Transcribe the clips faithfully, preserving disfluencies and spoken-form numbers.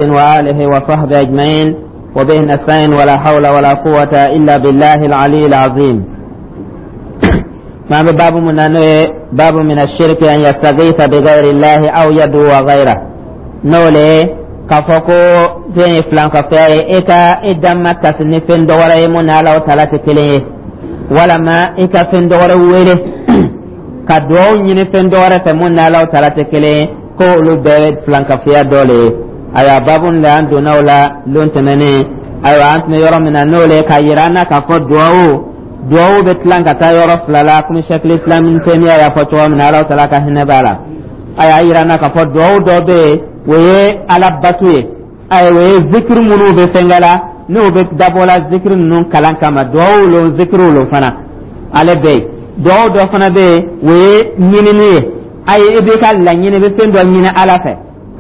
وآله وصحبه أجمعين وبه نستعين ولا حول ولا قوة إلا بالله العلي العظيم. ما باب من باب من الشرك أن يستغيث بغير الله أو يدعو غيره. N'o k'a fɔ ko fɛn ye filankafoya ye, e ka e damakasi ni fɛn dɔ wɛrɛ ye mun ni Ala tala tɛ kelen ye, walama i ka fɛn dɔ wɛrɛ wele ka duwawu ɲini fɛn dɔ wɛrɛ fɛ mun ni Ala tala tɛ kelen ye, ko olu bɛɛ filankafoya dɔ le ye. Ayiwa, babu la an donna o la lon tɛmɛnen. Ayiwa, an tun bɛ yɔrɔ min na, n'o le k'a yira an na k'a fɔ duwawu duwawu bɛ tilan ka taa yɔrɔ fila la, komi Sɛkili Islam Tɛmiya y'a fɔ cogo min na, Ala tala ka hinɛ b'a la. A y'a yira an na k'a fɔ duwawu dɔ bɛ yen, o ye Ala batu ye. Ayiwa, o ye zikiri minnu bɛ fɛnkɛ la, n'o bɛ dabɔ la zikiri ninnu kalan kama, duwawu lo, zikiriw lo fana, ale bɛ yen. Duwawu dɔ fana bɛ yen, o ye ɲinini ye. Ayi, i b'i ka laɲini, i bɛ fɛn dɔ ɲini Ala fɛ.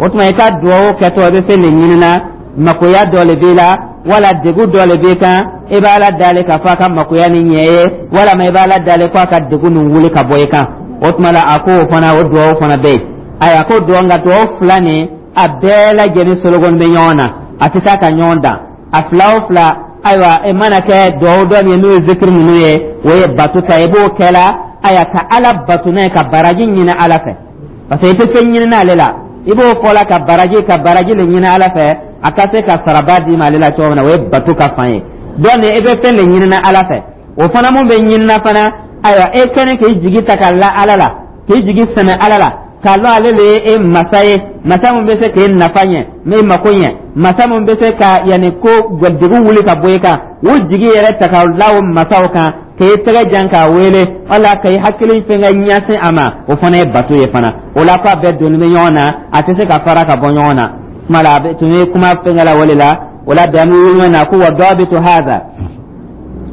O tuma i ka duwawu kɛtɔ, i bɛ fɛn de ɲini na, makoya dɔ le b'i la wala degun dɔ le b'i kan, i b'a la dalen k'a fɔ a ka makoya ni ɲɛ ye, walama i b'a la dalen ko a ka degun nin wuli ka bɔ i kan. O tuma la, a ko o fana, o duwawu fana bɛ yen. Ayiwa, ko duwawu, nka duwawu fila nin, a bɛɛ lajɛlen sologoni bɛ ɲɔgɔn na, a tɛ taa ka ɲɔgɔn dan, a fila o fila. Ayiwa, e mana kɛ duwawu dɔ min ye, n'o ye zikiri ninnu ye, o ye bato ta, i b'o kɛ la, ayiwa, ka Ala bato n'a ye, ka baraji ɲini Ala fɛ, parce que i tɛ fɛn ɲini n'ale la, i b'o fɔ la ka baraji ka baraji le ɲini Ala fɛ, a ka se ka saraba d'i ma ale la cogo min na, o ye bato ka fan ye. Dɔɔni i bɛ fɛn de ɲini Ala fɛ, o fana mun bɛ ɲinina fana. Ayiwa, e kɛlen k'i jigi ta ka la Ala la, k'i jigi sɛmɛ Ala la, k'a lɔn ale le ye e masa ye, masa mun bɛ se k'e nafa ɲɛ, n'e mako ɲɛ, masa mun bɛ se ka yanni ko degun wuli ka bɔ i kan, o jigi yɛrɛ ta ka la o masaw kan, k'e tɛgɛ jan k'a wele, wala k'i hakili fɛn ka ɲɛsin a ma, o fana ye bato ye fana. O la, k'a bɛɛ donni bɛ ɲɔgɔn na, a tɛ se ka fara ka bɔ ɲɔgɔn na. Kuma la, a tun ye kuma fɛnkɛ la o de la. O la bi, an bɛ wuli na ko wa dabitu haza.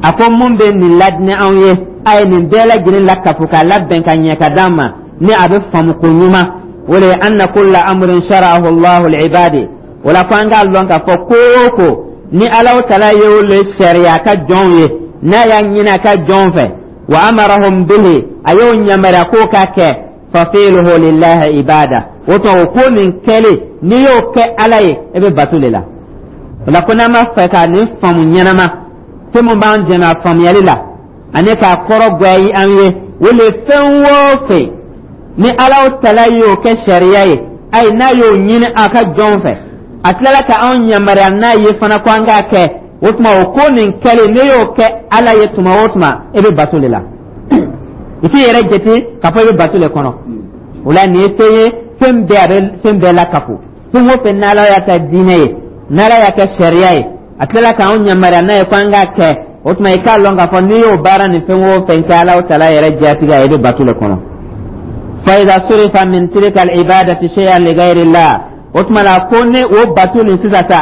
A ko mun bɛ nin ladinɛ anw ye, a ye nin bɛɛ lajɛlen lakafo k'a labɛn ka ɲɛ ka d'an ma ni a bɛ faamu ko ɲuman, o de ye anna kulla amrin shara'ahu Allahu li'ibadi. O la, ko an k'a lɔn k'a fɔ ko o ko ni Alahu tala y'o le sariya a ka jɔnw ye, n'a y'a ɲini a ka jɔnw fɛ, wa amarahum bihi, a y'o yamaruya k'o ka kɛ, fa fi'luhu lillahi ibada. O tuma, o ko nin kɛlen, n'i y'o kɛ Ala ye, e bɛ bato de la. O la, ko n'an b'a fɛ ka nin faamu ɲɛnama, fɛn min b'an dɛmɛ a faamuyali la ani k'a kɔrɔ goya an ye, o le fɛn o fɛn ni Alahu tala y'o kɛ sariya ye, ayi, n'a y'o ɲini a ka jɔnw fɛ, a tilala ka anw yamaruya n'a ye fana ko an k'a kɛ, o tuma o ko nin kɛlen, ne y'o kɛ Ala ye tuma o tuma, e bɛ bato de la. I t'i yɛrɛ jate k'a fɔ i bɛ bato de kɔnɔ. O la, nin ye fɛn ye, fɛn bɛɛ, a bɛ fɛn bɛɛ lakafo. Fɛn o fɛn n'Ala y'a kɛ diinɛ ye, n'Ala y'a kɛ sariya ye, a tilala k'anw yamaruya n'a ye ko an k'a kɛ, o tuma i k'a lɔn k'a fɔ n'i y'o baara nin fɛn o fɛn kɛ Ala tala yɛrɛ jatigɛ, i bɛ bato de kɔnɔ. فإذا صرف من تلك العبادة شيئا لغير الله, o tuma la, ko ne o bato nin sisan sa,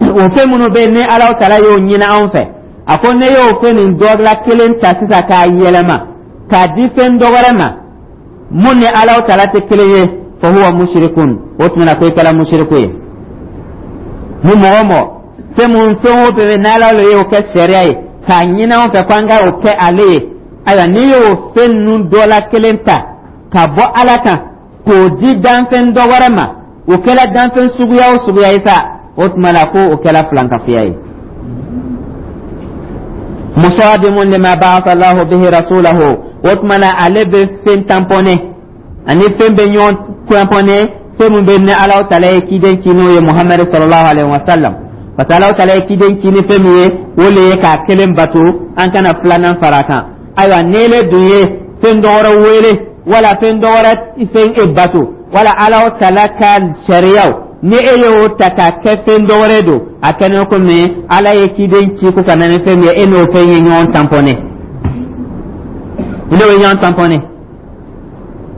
o fɛn minnu bɛ yen ni Ala tala y'o ɲini anw fɛ, a ko ne y'o fɛn nin dɔ la kelen ta sisan k'a yɛlɛma k'a di fɛn dɔ wɛrɛ ma mun ni Ala tala tɛ kelen ye, فهو مشرك. O tuma na, ko i kɛra musiriku ye. Ni mɔgɔ mɔgɔ fɛn mun, fɛn o fɛn n'Ala le y'o kɛ sariya ye k'a ɲini anw fɛ ko an ka o kɛ ale ye, ayiwa, n'i y'o fɛn ninnu dɔ la kelen ta ka bɔ Ala kan k'o di danfɛn dɔ wɛrɛ ma, o kɛra danfɛn suguya o suguya ye sa, o tuma la, ko o kɛra filankafoya ye. مصادم لما بعث الله به رسوله. O tuma la, ale bɛ fɛn tamponné ani fɛn bɛ ɲɔgɔn tamponné, fɛn min bɛ ni Ala tala ye ciden ci, n'o ye Muhamadu sallallahu alaihi wa sallam, parce que Ala tala ye ciden ci ni fɛn min ye, o le ye k'a kelen bato, an kana filanan fara a kan. Ayiwa, n'ele dun ye fɛn dɔ wɛrɛ wele wala fɛn dɔ wɛrɛ fɛn e bato wala Ala tala ka sariyaw, ni e y'o ta k'a kɛ fɛn dɔ wɛrɛ don, a kɛnɛ komi Ala ye ciden ci ko ka na ni fɛn min ye, e n'o fɛn ye ɲɔgɔn tamponné, i n'o ye ɲɔgɔn tamponné.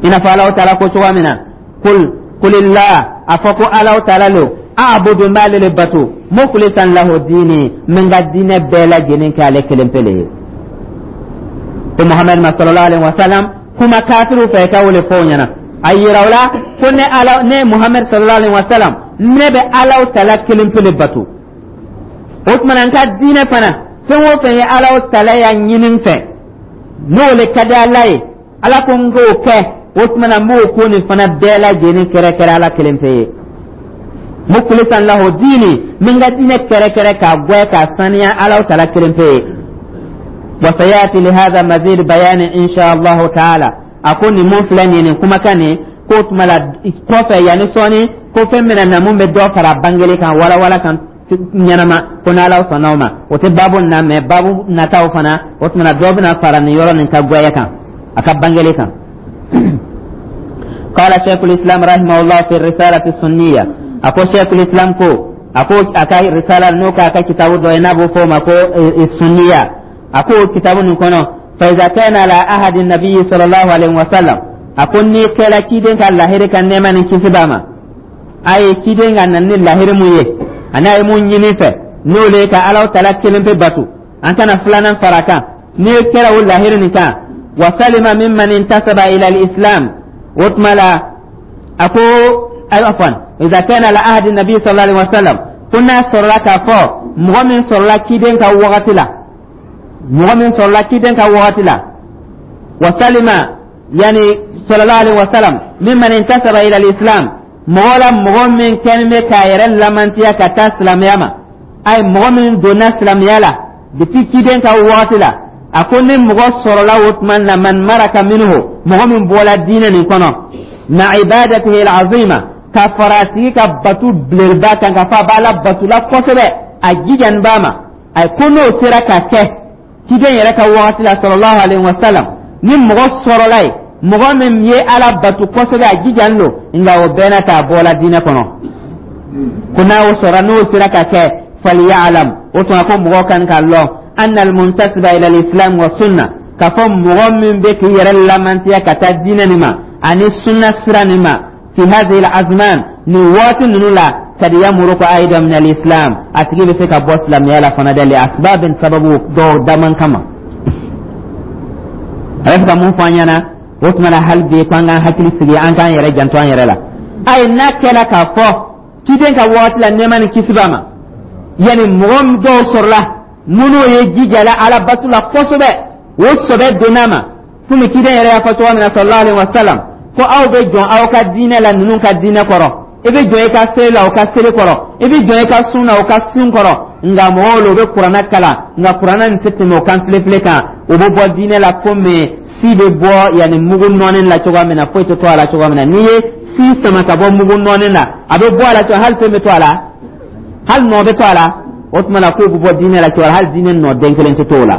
I n'a fɔ Ala taala ko cogoya min na: قل قل الله, a fɔ ko Ala taala lo, أعبد, n b'ale le bato, مخلصا له ديني, n ka diinɛ bɛɛ lajɛlen kɛ ale kelen pe le ye. Ko Muhamadu ma sallallahu alaihi wa sallam, kuma kafiriw fɛ, ka wele fɔ o ɲɛna, a yira o la ko ne Ala, ne Muhamadu sallallahu alaihi wa sallam, ne bɛ Ala tala kelen pe le bato. O tuma na, n ka diinɛ fana, fɛn o fɛn ye Ala tala y'a ɲini n fɛ, n'o le ka di Ala ye, Ala ko n k'o kɛ, o tuma na, n b'o ko nin fana bɛɛ lajɛlen kɛrɛkɛrɛ Ala kelen pe ye. Mukhlisan lahu dini, min ka diinɛ kɛrɛkɛrɛ k'a gwɛ k'a saniya Alaw Taala kelen pe ye. Wa sayati lihada mazid bayani insha Allahu taala. A ko nin mun filɛ nin ye, nin kumakan nin k'o tuma la kɔfɛ, yanni sɔɔni, ko fɛn bɛna na mun bɛ dɔ fara bangeli kan, walawala kan ɲɛnama, ko n'Ala sɔnna o ma, o tɛ baabu na mɛ baabu nataw fana. O tuma na dɔ bɛna fara nin yɔrɔ nin ka gwɛya kan, a ka bangeli kan. قال شيخ الإسلام رحمه الله في الرسالة السنية. أكو شيخ الإسلام كو أكو أكا رسالة نوكا أكا كتاب دو ينابو فوما كو السنية، أكو كتاب نكونو: فإذا كان على عهد النبي صلى الله عليه وسلم، أكو ني كلا كيدين كان لاهري كان نيما نكسباما أي كيدين كان نني لاهري مويه أنا يمون ينفع نولي كألاو تلا كلم في باتو أنت فلانا فراكا ني كلا لاهري نكا. وسلم ممن انتسب إلى الإسلام. وتملا أكو عفوا، إذا كان على عهد النبي صلى الله عليه وسلم، كنا صلى كفو مغمن صلى كيدين كوغتلا مغمن صلى كيدين كوغتلا وسلم، يعني صلى الله عليه وسلم، ممن انتسب إلى الإسلام، مغولا مغمن كان مكايرا لمن تيا كتاسلم ياما أي مغمن دون سلم يالا depuis kiden ka wagati la. A ko ni mɔgɔ sɔrɔla o tuma na, man maraka minhu, mɔgɔ min bɔla diinɛ nin kɔnɔ, ma ibadatihi alazima, ka fara a tigi ka batu belebeleba kan, ka fɔ a b'a la batula kosɛbɛ, a jijani b'a ma, a ko n'o sera ka kɛ ciden yɛrɛ ka wagati la, sallallahu alaihi wa sallam, ni mɔgɔ sɔrɔla ye mɔgɔ min ye Ala batu kosɛbɛ, a jijani don, nka o bɛɛ n'a ta a bɔla diinɛ kɔnɔ, ko n'a o sɔrɔ, n'o sera ka kɛ, falyalam, o tuma ko mɔgɔ kan ka lɔn, anna almuntasiba ila alislam wa sunna, k'a fɔ mɔgɔ min bɛ k'i yɛrɛ lamantiya ka taa diinɛ nin ma ani sunna sira nin ma, fi hadhihi alazman, nin waati ninnu la, kad yamuruku aidan min alislam, a tigi bɛ se ka bɔ silamɛya la fana dɛ, li asbabin, sababu dɔw daman kama. A bɛ fɛ ka mun fɔ an ɲɛna o tuma na? Hali bi ko an k'an hakili sigi, an k'an yɛrɛ janto an yɛrɛ la. Ayi, n'a kɛra k'a fɔ ciden ka waati la, nɛɛma ni kisi b'a ma, yani mɔgɔ dɔw sɔrɔla minnu ye jijala Ala batu la kosɛbɛ, o sɔbɛ donna ma, komi ciden yɛrɛ y'a fɔ cogo min na, sallallahu alaihi wa sallam, ko aw bɛ jɔn aw ka diinɛ la ninnu ka diinɛ kɔrɔ, i bɛ jɔn i ka seli la u ka seli kɔrɔ, i bɛ jɔn i ka sun na u ka sun kɔrɔ, nka mɔgɔw la u bɛ Kuranɛ kalan, nka Kuranɛ nin tɛ tɛmɛ o kan filefile kan. U bɛ bɔ diinɛ la komi si bɛ bɔ yanni mugu nɔɔni la cogoya min na, foyi tɛ to a la cogoya min na. N'i ye si sama ka bɔ mugu nɔɔni na, a bɛ bɔ a la cogo, hali fɛn bɛ to a la, hali nɔ bɛ to a la. O tuma na k'o bɛ bɔ diinɛ la cogoya, hali diinɛ nɔ den kelen tɛ to o la.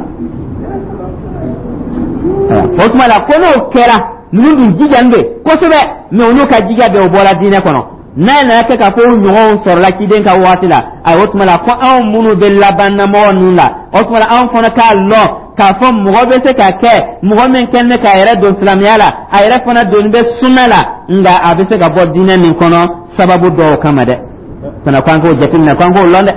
O tuma na ko n'o kɛra, ninnu dun jijani bɛ kosɛbɛ, mɛ olu ka jija bɛɛ, o bɔra diinɛ kɔnɔ. N'a nana kɛ k'a fɔ o ɲɔgɔnw sɔrɔla ciden ka waati la, ayi, o tuma la ko anw minnu bɛ laban namɔgɔ ninnu la, o tuma la anw fana k'a lɔn k'a fɔ mɔgɔ bɛ se ka kɛ mɔgɔ min kɛlen bɛ k'a yɛrɛ don silamɛya la, a yɛrɛ fana donni bɛ sunna la, nka a bɛ se ka bɔ diinɛ nin kɔnɔ sababu dɔw kama dɛ. Fana ko an k'o jateminɛ, ko an k'o lɔn dɛ.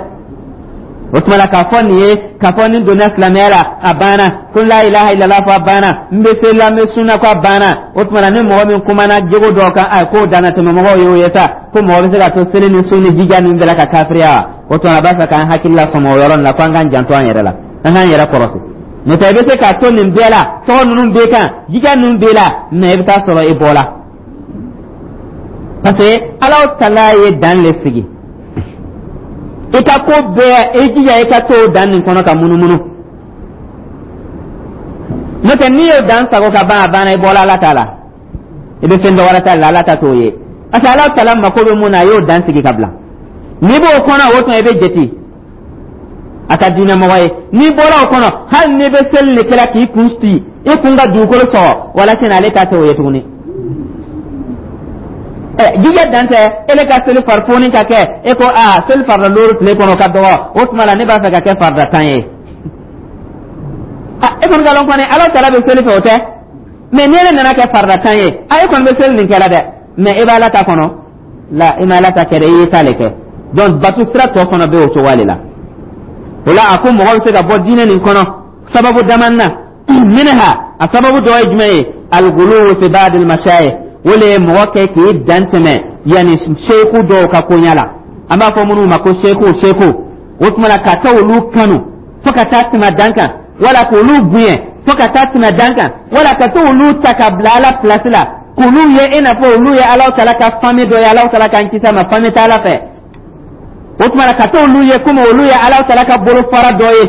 O tuma la k'a fɔ nin ye, k'a fɔ ni donna silamɛya la a banna, ko la ilaha illallah fɔ a banna, n bɛ seli la, n bɛ sunna, ko a banna. O tuma la ni mɔgɔ min kumana jogo dɔw kan, ayi, k'o danna tɛmɛ mɔgɔw ye, o ye sa ko mɔgɔ bɛ se ka to seli ni sun ni jija ninnu bɛɛ la ka kafiriya wa? O tuma a b'a fɛ k'an hakili la sɔmɔ o yɔrɔ nin la, ko an k'an janto an yɛrɛ la, an k'an yɛrɛ kɔlɔsi. N'o tɛ, i bɛ se k'a to nin bɛɛ la, tɔgɔ ninnu bɛɛ kan, jija ninnu bɛɛ la, mɛ i bɛ taa sɔrɔ i bɔra, parce que Ala tala ye dan le sigi. I ka ko bɛɛ, i jija i ka to o dan nin kɔnɔ ka munumunu. N'o tɛ, n'i y'o dan sago ka ban, a banna, i bɔra Ala ta la, i bɛ fɛn dɔ wɛrɛ ta la, Ala ta t'o ye, parce que Ala tala mako bɛ mun na, a y'o dan sigi ka bila. N'i b'o kɔnɔ, o tuma i bɛ jate a ka diinɛ mɔgɔ ye. N'i bɔra o kɔnɔ, hali n'i bɛ seli de kɛra k'i kun ci, i kun ka dugukolo sɔgɔ, wala ale ta t'o ye tuguni. Jija dan tɛ ele ka seli farifoni ka kɛ e ko aa, seli farida looro tile kɔnɔ ka dɔgɔ, o tuma la ne b'a fɛ ka kɛ farida tan ye. E kɔni ka lɔn kɔni Ala tala bɛ seli fɛ, o tɛ mɛ ni ele nana kɛ farida tan ye, a e kɔni bɛ seli nin kɛla dɛ, mɛ e b'a Ala ta kɔnɔ la, e ma Ala ta kɛ dɛ, i y'i ta le kɛ. Donc batu sira tɔ fana bɛ o cogoya de la. O la a ko mɔgɔ bɛ se ka bɔ diinɛ nin kɔnɔ sababu dama na. Minha, a sababu dɔ ye jumɛn ye? Al-ghuluw fi ba'd al-mashayikh, o le ye mɔgɔ kɛ k'i dan tɛmɛ yanni seku dɔw ka koɲa la, an b'a fɔ minnu ma ko seku seku. O tuma la ka taa olu kanu fo ka taa tɛmɛ dan kan, wala k'olu bonya fo ka taa tɛmɛ dan kan, wala ka taa olu ta ka bila Ala place la, k'olu ye i n'a fɔ olu ye Alahu Taala ka famille dɔ ye, Alahu Taala k'an kisi a ma, famille t'Ala fɛ. O tuma na, ka t'olu ye komi olu ye Ala tala ka bolofara dɔ ye,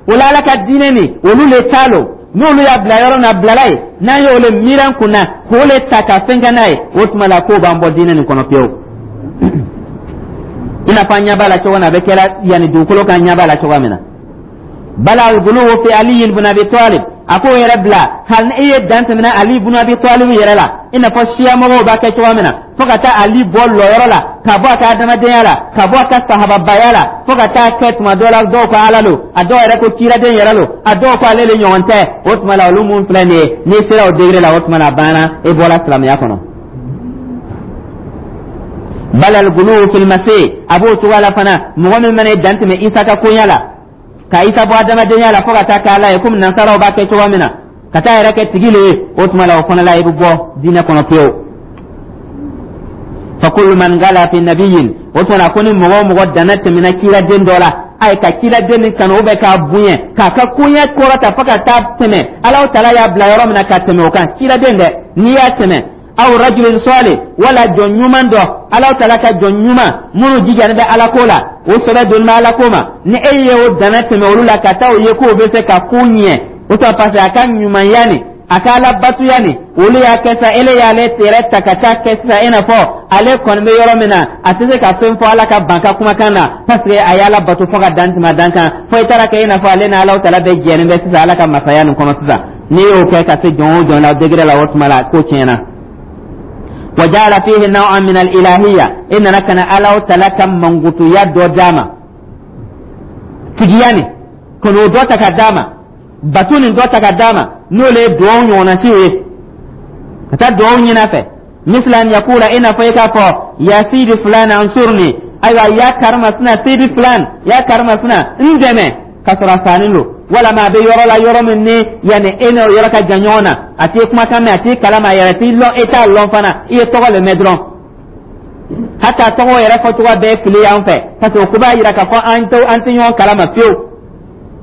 o la Ala ka diinɛ nin, olu le t'a lo. N'olu y'a bila yɔrɔ min, a bilala yen. N'an y'o le miiri an kunna k'o le ta ka fɛn kɛ n'a ye, o tuma la k'o b'an bɔ diinɛ nin kɔnɔ pewu. I n'a fɔ an ɲɛ b'a la cogo min na, a bɛ kɛra yanni dugukolo kan, ɲɛ b'a la cogoya min na. Bala al-guluwu fi Ali ibn Abi Talib, a k'o yɛrɛ bila. Hali ni e ye dan tɛmɛna Ali ibn Abi Talib yɛrɛ la, i n'a fɔ siya mɔgɔw b'a kɛ cogoya min na, fo ka taa Ali bɔ lɔyɔrɔ la, ka bɔ a ka adamadenya la, ka bɔ a ka sahababaya la, fo ka taa kɛ tuma dɔ la dɔw ko Ala lo, a dɔw yɛrɛ ko kiraden yɛrɛ lo, a dɔw ko ale le ɲɔgɔn tɛ. O tuma la, olu mun filɛ nin ye, n'i sera o degré la, o tuma la a banna, e bɔra silamɛya kɔnɔ. Bal al-guluwu fil masih, a b'o cogoya la fana. Mɔgɔ min mana dan tɛmɛ Isa ka koɲa la, ka Isa bɔ adamadenya la fo ka taa kɛ Ala ye, komi nansaraw b'a kɛ cogoya min na, ka taa yɛrɛ kɛ tigi le ye, o tuma la o fana la, i bɛ bɔ diinɛ kɔnɔ pewu. Fa kullu man gala fi nabiyyin, o tuma la ko ni mɔgɔ o mɔgɔ danna tɛmɛna kiraden dɔ la, ayi, ka kiraden nin kanu bɛ k'a bonya, k'a ka koɲɛ kɔrɔta fo ka taa tɛmɛ Alaw tala y'a bila yɔrɔ min na, ka tɛmɛ o kan, kiraden dɛ, n'i y'a tɛmɛ, aw rajulin salih, wala jɔn ɲuman dɔ, Alaw tala ka jɔn ɲuman minnu jijani bɛ Ala ko la, o sɛbɛ donni bɛ Ala ko ma, ni e ye o danna tɛmɛ olu la ka taa o ye k'o bɛ se ka ko ɲɛ, o tuma, parce que a ka ɲumanya nin, a ka Ala batuya nin, olu y'a kɛ sa, ele y'ale yɛrɛ ta ka taa kɛ sisan i n'a fɔ ale kɔni bɛ yɔrɔ min na, a tɛ se ka fɛn fɔ Ala ka ban ka kumakan na, parce que a ye Ala bato fo ka dan tɛmɛ a dan kan, fo i taara kɛ i n'a fɔ ale ni Alaw tala bɛɛ jɛlen bɛ sisan Ala ka masaya nin kɔnɔ sisan. N'i y'o kɛ ka se jɔn o jɔn la degré la, o tuma la ko tiɲɛna. وجعل فيه نوعا من الإلهية إن كان الله تعالى كم منغوتو دو داما تجياني كنو دو تكا داما باتوني دو تكا داما نولي دو ɲɔgɔnna siw ye ka taa duwawu ɲini a fɛ. مثل أن يقول, i n'a fɔ i k'a fɔ: يا سيدي فلان انصرني, ayiwa, ya karimasina, sidi fulan, ya karimasina, n dɛmɛ, k'a sɔrɔ a sanni lo, walama a bɛ yɔrɔ la, yɔrɔ min ni yanni e n'o yɔrɔ ka jan ɲɔgɔn na, a t'i kumakan mɛn, a t'i kalama, a yɛrɛ t'i lɔn, e t'a lɔn fana, i ye tɔgɔ le mɛn dɔrɔn. Hata tɔgɔ yɛrɛ fɔcogo bɛɛ fili y'an fɛ, parce que o ko b'a yira k'a fɔ an tɛ an tɛ ɲɔgɔn kalama fiyewu.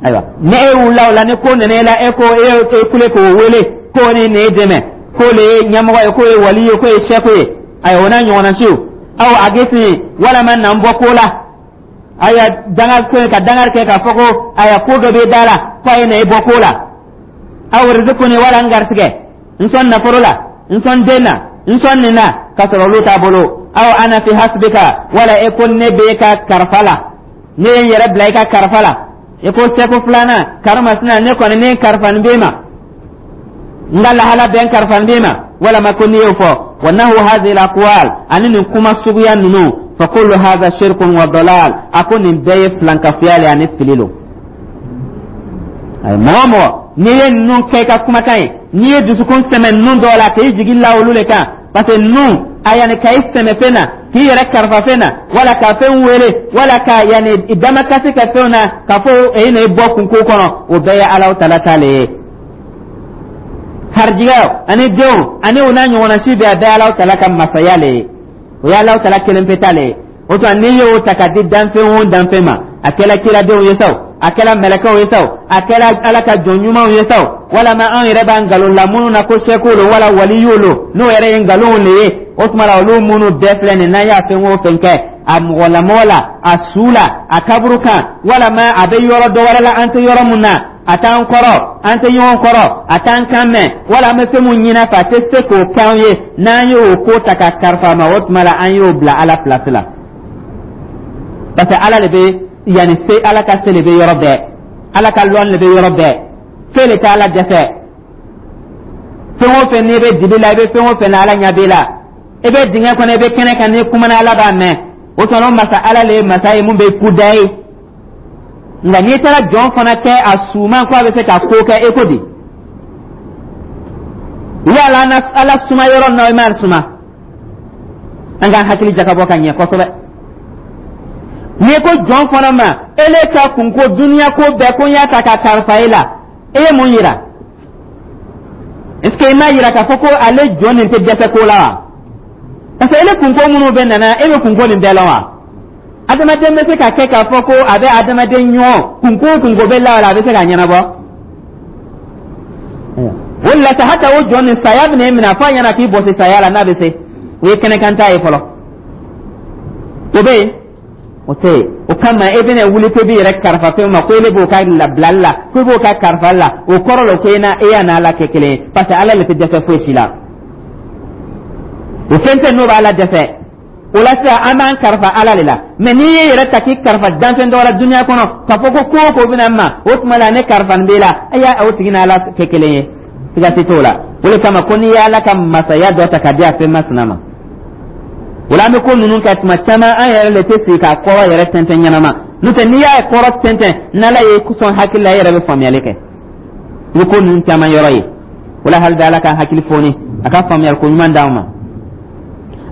Ayiwa, ni e wulila o la, ni ko nana e la, e ko e e kule k'o wele k'o ni nin dɛmɛ, k'o le ye ɲɛmɔgɔ ye, k'o ye wali ye, k'o ye sɛko ye, ayiwa, o n'a ɲɔgɔnna siw, aw a gesi, walama na n bɔ ko la, ayiwa, danga ko ka dangari kɛ k'a fɔ ko ayiwa, ko dɔ bɛ da la ko a ye na e bɔ ko la, aw rizikuni, wala n garisɛgɛ, n sɔn nafolo la, n sɔn den na, n sɔn nin na, k'a sɔrɔ olu t'a bolo, aw ana fi hasbika, wala e ko ne b'e ka karifa la, ne ye n yɛrɛ bila i ka karifa la, i ko sɛko filanan karimasina, ne kɔni ne karifa nin b'e ma, n ka lahala bɛɛ n karifa nin b'e ma, walama ko n'i y'o fɔ, wa nahu hadhihi al-aqwal, ani nin kuma suguya ninnu, fa kullu hadha shirkun wa dalal, a ko nin bɛɛ ye filankafoya le ani fili lo. Ayi, mɔgɔ o mɔgɔ n'i ye ninnu kɛ i ka kumakan ye, n'i ye dusukun sɛmɛ ninnu dɔw la k'i jigi la olu le kan, parce que ninnu a yanni ka i sɛmɛ fɛn na, k'i yɛrɛ karifa fɛn na, wala ka fɛn wele, wala ka yanni damakasi kɛ fɛnw na, k'a fɔ e na i bɔ kunko kɔnɔ, o bɛɛ ye Alaw tala ta le ye. Harijigɛw ani denw ani o n'a ɲɔgɔnna si bɛɛ, a bɛɛ Alaw tala ka masaya le ye, o ye Alaw tala kelen pe ta le ye. O tuma, n'i y'o ta ka di danfɛn o danfɛn ma, a kɛla kiradenw ye sa o, a kɛla mɛlɛkɛw ye sa o, a kɛla Ala ka jɔn ɲumanw ye sa o, walama anw yɛrɛ b'an nkalon la minnu na ko sɛkow lo wala waliyuw lo, n'o yɛrɛ ye nkalonw le ye, o tuma la olu minnu bɛɛ filɛ nin, n'an y'a fɛn o fɛn kɛ a mɔgɔlamɔgɔ la, a su la, a kaburu kan, walama a bɛ yɔrɔ dɔ wɛrɛ la an tɛ yɔrɔ mun na, a t'an kɔrɔ, an tɛ ɲɔgɔn kɔrɔ, a t'an kan mɛn, wala an bɛ fɛn mun ɲini a fɛ, a tɛ se k'o kɛ an ye, n'an y'o ko ta ka karifa a ma, o tuma la an y'o bila Ala place la, parce que Ala de bɛ yanni se, Ala ka se de bɛ yɔrɔ bɛɛ, Ala ka lɔn de bɛ yɔrɔ bɛɛ, fɛn de tɛ Ala dɛsɛ. Fɛn o fɛn n'i bɛ dibi la, i bɛ fɛn o fɛn na, Ala ɲɛ b'i la. I bɛ dingɛ kɔnɔ, i bɛ kɛnɛ kan, n'i kumana, Ala b'a mɛn. O tuma o masa Ala le ye masa ye mun bɛ kuda ye. Nka n'i taara jɔn fana kɛ a suman ko a bɛ se ka ko kɛ, e ko di? Yala Ala suma yɔrɔ na, i m'a suma? An k'an hakili jakabɔ ka ɲɛ kosɛbɛ. N'i ko jɔn fana ma ele ka kunko duniya ko bɛɛ ko n y'a ta ka kalifa e la, e ye mun yira? Est ce que i m'a yira k'a fɔ ko ale jɔn nin tɛ dɛsɛ ko la wa? Parce que ele kunko minnu bɛ nana, e bɛ kunko nin bɛɛ la wa? Adamaden bɛ se ka kɛ k'a fɔ ko a bɛ adamaden ɲɔgɔn kunko o kunko bɛ la, a bɛ se k'a ɲɛnabɔ? O de la sa, hata o jɔn nin, saya bɛna e minɛ, a fɔ a ɲɛna k'i bɔsi saya la n'a bɛ se, o ye kɛnɛkan ta ye fɔlɔ, o bɛ yen. O tɛ yen. O kama e bɛna wuli ko i b'i yɛrɛ kalifa fɛn ma, ko ele b'o ka labilali la, ko i b'o ka kalifali la, o kɔrɔ la ko e n'a e y'a n'Ala kɛ kelen ye, parce que Ala le tɛ dɛsɛ foyi si la. O fɛn tɛ n'o b'Ala dɛsɛ. O la sisan, an b'an kalifa Ala de la. Mɛ n'i y'i yɛrɛ ta k'i kalifa danfɛn dɔ la dunuya kɔnɔ, k'a fɔ ko ko o ko bɛna n ma, o tuma la ne kalifa nin b'e la, e y'a o tigi n'Ala kɛ kelen ye, siga si t'o la. O de kama ko n'i ye Ala ka masaya dɔ ta ka di a fɛn masina ma, o la an bɛ ko ninnu kɛ tuma caman, an yɛrɛ de tɛ sigi k'a kɔrɔ yɛrɛ tɛntɛn ɲɛnama. N'o tɛ, n'i y'a kɔrɔ tɛntɛn, n'Ala ye sɔn hakili la, e yɛrɛ bɛ faamuyali kɛ. I bɛ ko ninnu caman yɔrɔ ye. O la, hali bi Ala ka hakili foni, a ka faamuyali ko ɲuman d'anw ma.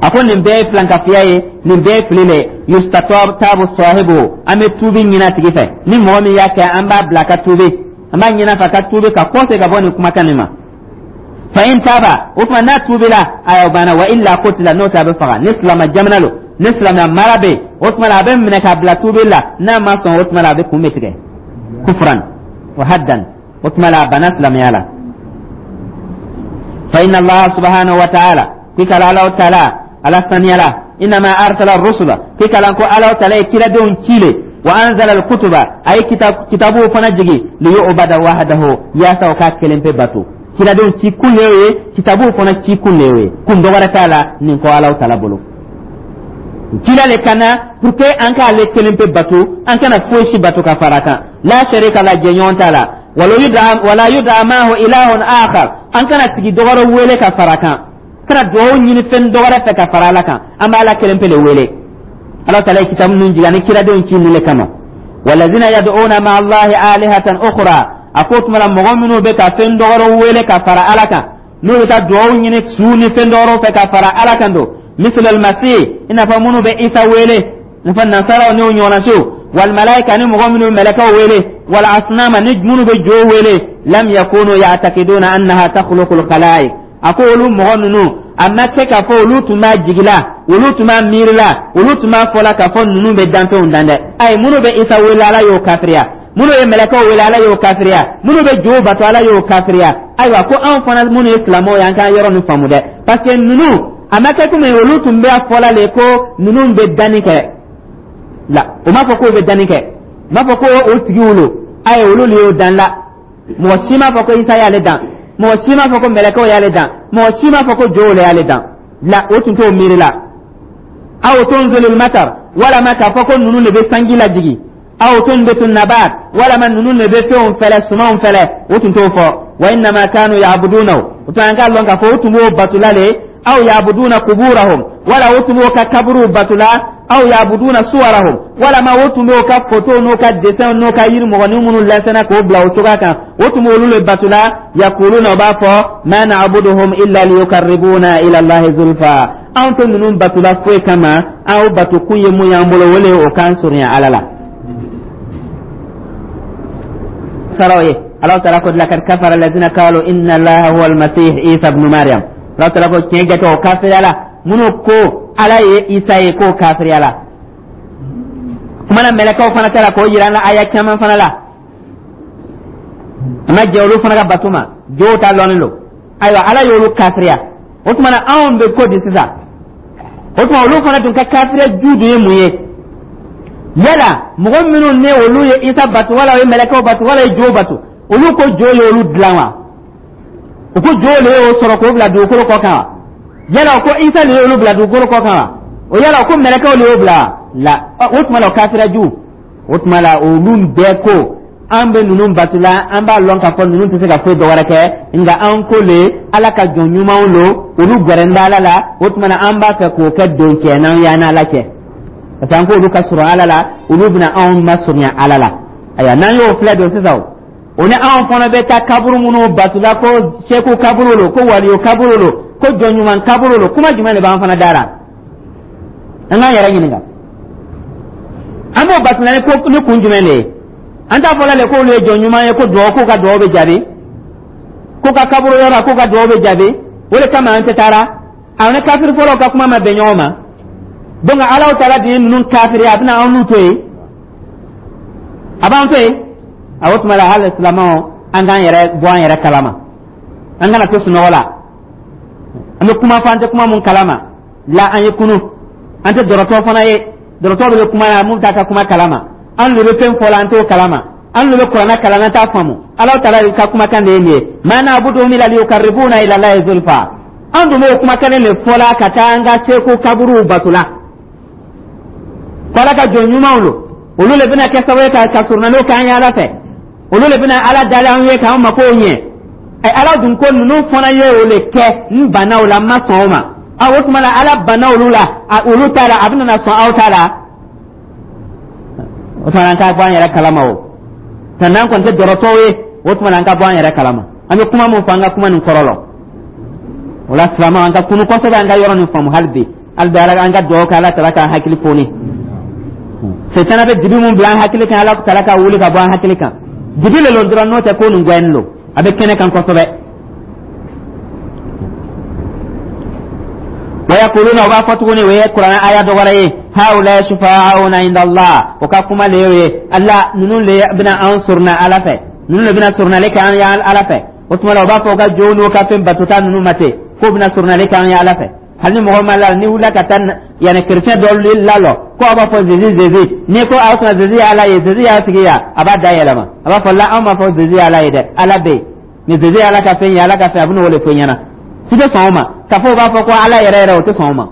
A ko nin bɛɛ ye filankafiya ye, nin bɛɛ ye fili le. Yustatabu sahibu, an bɛ tuubi ɲini a tigi fɛ. Ni mɔgɔ min y'a kɛ, an b'a bila a ka tuubi, an b'a ɲini a fɛ a ka tuubi ka kɔse ka bɔ nin kumakan nin ma. Fa in taba, o tuma n'a tuubila, ayiwa, banna. Wa illa qutila, n'o tɛ a bɛ faga. Ni silama jamana lo, ni silamɛya mara bɛ yen, o tuma la a bɛ minɛ k'a bila tuubi la. N'a ma sɔn, o tuma la a bɛ kun bɛ tigɛ kufran wa haddan. O tuma la a banna silamɛya la. Fa inna Allah subhanahu wa ta'ala, k'i kala Alaw taala ala saniyala, innama arsala rusula, k'i kalan ko Alaw taala ye kiradenw ci le, wa anzala alkutuba, a ye kitabuw fana jigi, liyubada wahdahu, yaasa o k'a kelen pe bato. Kiradenw ci kun le ye, kitabuw fana ci kun le ye, kun dɔ wɛrɛ t'a la nin kɔ Alaw taala bolo. Kira le ka na pour que an k'ale kelen pe bato, an kana foyi si bato ka fara kan. La sharika la, jɛɲɔgɔn t'a la. Wala yuda maahu ilahun akhar, an kana tigi dɔ wɛrɛ wele ka fara kan, kana duwawu ɲini fɛn dɔ wɛrɛ fɛ ka fara Ala kan. An b'a Ala kelen pe le wele. Ala taala ye kitabu ninnu jigin ani kiradenw ci nin le kama. Walazina yad'una ma'a Allahi alihatan ukhra, a ko tuma la mɔgɔ minnu bɛ ka fɛn dɔ wɛrɛ wele ka fara Ala kan, n'u bɛ taa duwawu ɲini su ni fɛn dɔ wɛrɛw fɛ ka fara Ala kan don, misal almasih, i n'a fɔ minnu bɛ Isa wele, i n'a fɔ nasaraw n'o ɲɔgɔnna, wal malaika, ni mɔgɔ minnu bɛ mɛlɛkɛw wele, wal asnama, ni minnu bɛ jo wele, lam yakunu ya'taqiduna annaha takhluqul khalaiq. A ko olu mɔgɔ ninnu, a ma kɛ k'a fɔ olu tun b'a jigila, olu tun b'a miirila, olu tun b'a fɔla k'a fɔ ninnu bɛ danfɛnw dan dɛ. Ayi, minnu bɛ Isa wele, Ala y'o kafiriya. Minnu ye mɛlɛkɛw wele, Ala y'o kafiriya. Minnu bɛ jow bato, Ala y'o kafiriya. Ayiwa, ko anw fana minnu ye silamɛw ye, an k'an yɔrɔ nin faamu dɛ, parce que ninnu a ma kɛ komi olu tun bɛ fɔla le ko ninnu bɛ danni kɛ la. O m'a fɔ k'o bɛ danni kɛ, o m'a fɔ ko o tigiw lo. Ayi, olu le y'o dan la. Mɔgɔ si m'a fɔ ko Isa y'ale dan, mɔgɔ si m'a fɔ ko mɛlɛkɛw y'ale dan, mɔgɔ si m'a fɔ ko jow le y'ale dan la. O tun t'o miiri la. Aw tunzilul matar, walama k'a fɔ ko ninnu de bɛ sanji lajigi, aw tunbitu nabat, walama ninnu de bɛ fɛnw fɛlɛ, sumanw fɛlɛ, o tun t'o fɔ. Wa innama kanu ya'budunahu, o tun an k'a lɔn k'a fɔ o tun b'o batula le, aw ya'buduna kuburahum, wala o tun b'o ka kaburuw batula, aw ya'buduna suwarahum, walama o tun b'o ka photo n'o ka dessin n'o ka yiri mɔgɔnin minnu lɛsɛnna k'o bila o cogoya kan, o tun b'olu le batula. Yakuluna, o b'a fɔ, ma na'buduhum illa liyukarribuna ila Allahi zulfa, anw tɛ ninnu batula foyi kama, aw bato kun ye mun y'an bolo, o le ye o k'an surunya Ala la. Saraw ye Alahu taala ko lakad kafara alladhina qalu inna Allaha huwa almasih Isa ibn Maryam. Alahu taala ko tiɲɛ jate, o kafiriya la minnu ko Ala ye Isa ye, k'o kafiriya la. Kumana mɛlɛkɛw fana ta la, k'o yira an la aya caman fana la, a ma jɛ olu fana ka bato ma, jow ta lɔnnen don. Ayiwa, Ala y'olu kafiriya. O tuma na anw bɛ ko di sisan? O tuma olu fana dun ka kafiriya ju dun ye mun ye? Yala mɔgɔ minnu ne olu ye Isa bato, wala o ye mɛlɛkɛw bato, wala ye jow bato, olu ko jo ye olu dilan wa? U ko jo le y'o sɔrɔ k'o bila dugukolo kɔ kan wa? Yala o ko Isa le y'olu bila dugukolo kɔ kan wa? O yala o ko mɛlɛkɛw le y'o bila la? O tuma la o kafira ju. O tuma la olu bɛɛ ko an bɛ ninnu batula, an b'a lɔn k'a fɔ ninnu tɛ se ka foyi dɔ wɛrɛ kɛ, nka an ko le Ala ka jɔn ɲumanw lo, olu gɛrɛn bɛ Ala la. O tuma na an b'a fɛ k'o kɛ don cɛ n'an y'an n'Ala cɛ, parce que an k'olu ka surun Ala la, olu bɛna anw masurunya Ala la. Ayiwa, n'an y'o filɛ don sisan, o ni anw fana bɛ taa kaburu minnu batula, ko seku kaburu lo, ko waliyo kaburu lo, ko jɔn ɲuman kaburu lo, kuma jumɛn de b'an fana da la? An k'an yɛrɛ ɲininka, an b'o batula ni ko ni kun jumɛn de ye? An t'a fɔla le k'olu ye jɔn ɲuman ye, ko duwawu, k'u ka duwawu bɛ jaabi, k'u ka kaburu yɔrɔ, k'u ka duwawu bɛ jaabi, o de kama an tɛ taara. A ni kafiri fɔlɔw ka kuma ma bɛn ɲɔgɔn ma. Donc Alaw taala de ye ninnu kafiri, a bɛna an n'u to yen, a b'an to yen. A o tuma la, hali silamɛw, an k'an yɛrɛ bɔ an yɛrɛ kalama, an kana to sunɔgɔ la, an bɛ kuma fɔ an tɛ kuma mun kalama la. An ye kunu, an tɛ dɔrɔtɔ fana ye. Dɔrɔtɔ bɛ kuma la, mun t'a ka kuma kalama. An de bɛ fɛn fɔ la, an t'o kalama. An de bɛ Kuranɛ kalan, an t'a faamu. Ala taala ka kumakan de ye nin ye: ma na'buduhum illa liyuqarribuna ila Allahi zulfa. An dun b'o kumakan de fɔ la ka taa an ka seko kaburuw bato la, ko Ala ka jɔn ɲumanw lo, olu le bɛna kɛ sababu ye ka ka surunaliw k'an ye Ala fɛ, olu le bɛna Ala dali an ye k'an makow ɲɛ. Ɛ, Ala dun ko ninnu fana ye o le kɛ, n banna o la, n ma sɔn o ma. A o tuma la, Ala banna olu la, olu ta la, a bɛna na sɔn aw ta la. O tuma la, an k'a bɔ an yɛrɛ kalama. O nka n'an kɔni tɛ dɔrɔtɔw ye, o tuma la, an ka bɔ an yɛrɛ kalama. An bɛ kuma min fɔ, an ka kuma nin kɔrɔ lɔ. O la, silamɛw, an ka kunu kosɛbɛ, an ka yɔrɔ nin faamu hali bi. Hali bi, Ala, an ka dugawu kɛ, Ala tala k'an hakili foni. Setana bɛ dibi mun bila an hakili kan, Ala tala ka wuli ka bɔ an hakili kan. Dibi le lon dɔrɔn, n'o tɛ ko nin gɛn lo, a bɛ kɛnɛ kan kosɛbɛ. Wa yaquluna, u b'a fɔ tuguni, o ye Kuranɛ aya dɔ wɛrɛ ye: haula shufa'auna inda Allah. O ka kuma le y'o ye: Allah ninnu le bɛna an suruna Ala fɛ, ninnu le bɛna surunali kɛ an ye Ala fɛ. O tuma la, u b'a fɔ u ka jɔnw n'u ka fɛn batota ninnu ma ten k'o bɛna surunali kɛ an ye Ala fɛ. Hali ni mɔgɔ ma la, ni wulila ka taa yanni chrétien dɔ lalɔ ko aw b'a fɔ Jésus, Jésus, n'i ko aw tuma Jésus ye Ala ye, Jésus y'a tigi ya, a b'a da yɛlɛma, a b'a fɔ la: anw b'a fɔ Jésus ye Ala ye dɛ, Ala bɛ yen, mais Jésus ye Ala ka fɛn ye, Ala ka fɛn, a bɛna o de fɔ i ɲɛna. Si tɛ sɔn o ma k'a fɔ u b'a fɔ ko Ala yɛrɛ yɛrɛ, o tɛ sɔn o ma.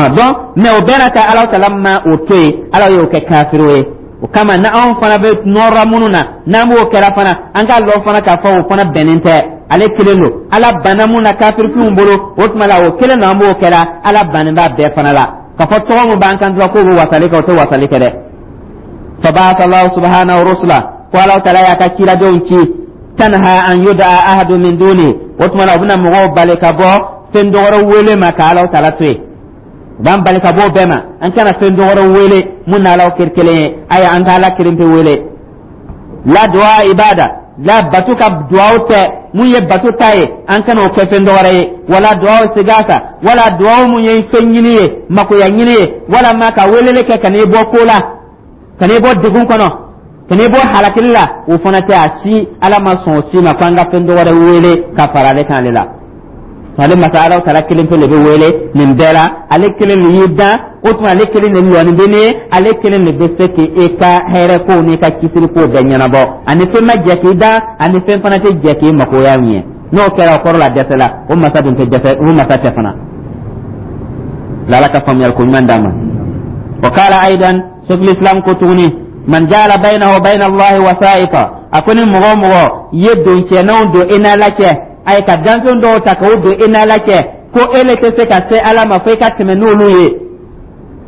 Donc, mais o bɛɛ n'a ta, Ala tala ma o to yen, Ala y'o kɛ kafiriw ye. O kama, na anw fana bɛ nɔrɔ minnu na, n'an b'o kɛra fana, an k'a lɔn fana k'a fɔ o fana bɛnnen tɛ. Ale kelen don, Ala banna mun na kafirifinw bolo, o tuma la, o kelen don, an b'o kɛra. Ala bannen b'a bɛɛ fana la k'a fɔ tɔgɔ min b'an kan dɔrɔn k'o bɛ wasali kɛ, o tɛ wasali kɛ dɛ. Faba'atha Allahu subhanahu rusula, ko Ala taala y'a ka ciladenw ci, tanha an yud'a ahadu min duni. O tuma la, u bɛna mɔgɔw bali ka bɔ fɛn dɔgɔrɔ wele ma ka Ala taala to yen. U b'an bali ka bɔ o bɛɛ ma, an kana fɛn dɔgɔrɔ wele mun n'Ala kɛ kelen ye. Ayi, an ka Ala kelen pe wele. La du'a ibada la, batu ka duwawu tɛ mun ye batu ta ye, an kana o kɛ fɛn dɔwɛrɛ ye. Wala duwawu sigasa, wala duwawu mun ye fɛn ɲini ye, makoya ɲini ye, wala ma ka weleli kɛ ka n'i bɔ ko la, ka n'i bɔ degun kɔnɔ, ka n'i bɔ halakili la, o fana tɛ a si. Ala ma sɔn o si ma ko an ka fɛn dɔwɛrɛ wele ka fara ale kan. Ale la, ale masa Ala taala kelen pe le bɛ wele nin bɛɛ la. Ale kelen de y'i dan, o tuma ale kelen de lɔnni bɛ ne ye, ale kelen de bɛ se k'e ka hɛrɛ kow n'i ka kisili kow bɛɛ ɲɛnabɔ. Ani fɛn ma jɛ k'i dan, ani fɛn fana tɛ jɛ k'i makoya ɲɛ. N'o kɛra, o kɔrɔ la dɛsɛ la, o masa dun tɛ dɛsɛ, o masa tɛ fana la. Ala ka faamuyali ko ɲuman d'an ma. Wa qala aidan, Sheikhul Islam ko tuguni: man jala baynahu wa bayna Allahi wasa'iqa, a ko ni mɔgɔ o mɔgɔ ye doncɛnanw don i n'Ala cɛ, ayi, ka danfɛn dɔw ta k'o don i n'Ala cɛ, ko e le tɛ se ka se Ala ma fo i ka tɛmɛ n'olu ye,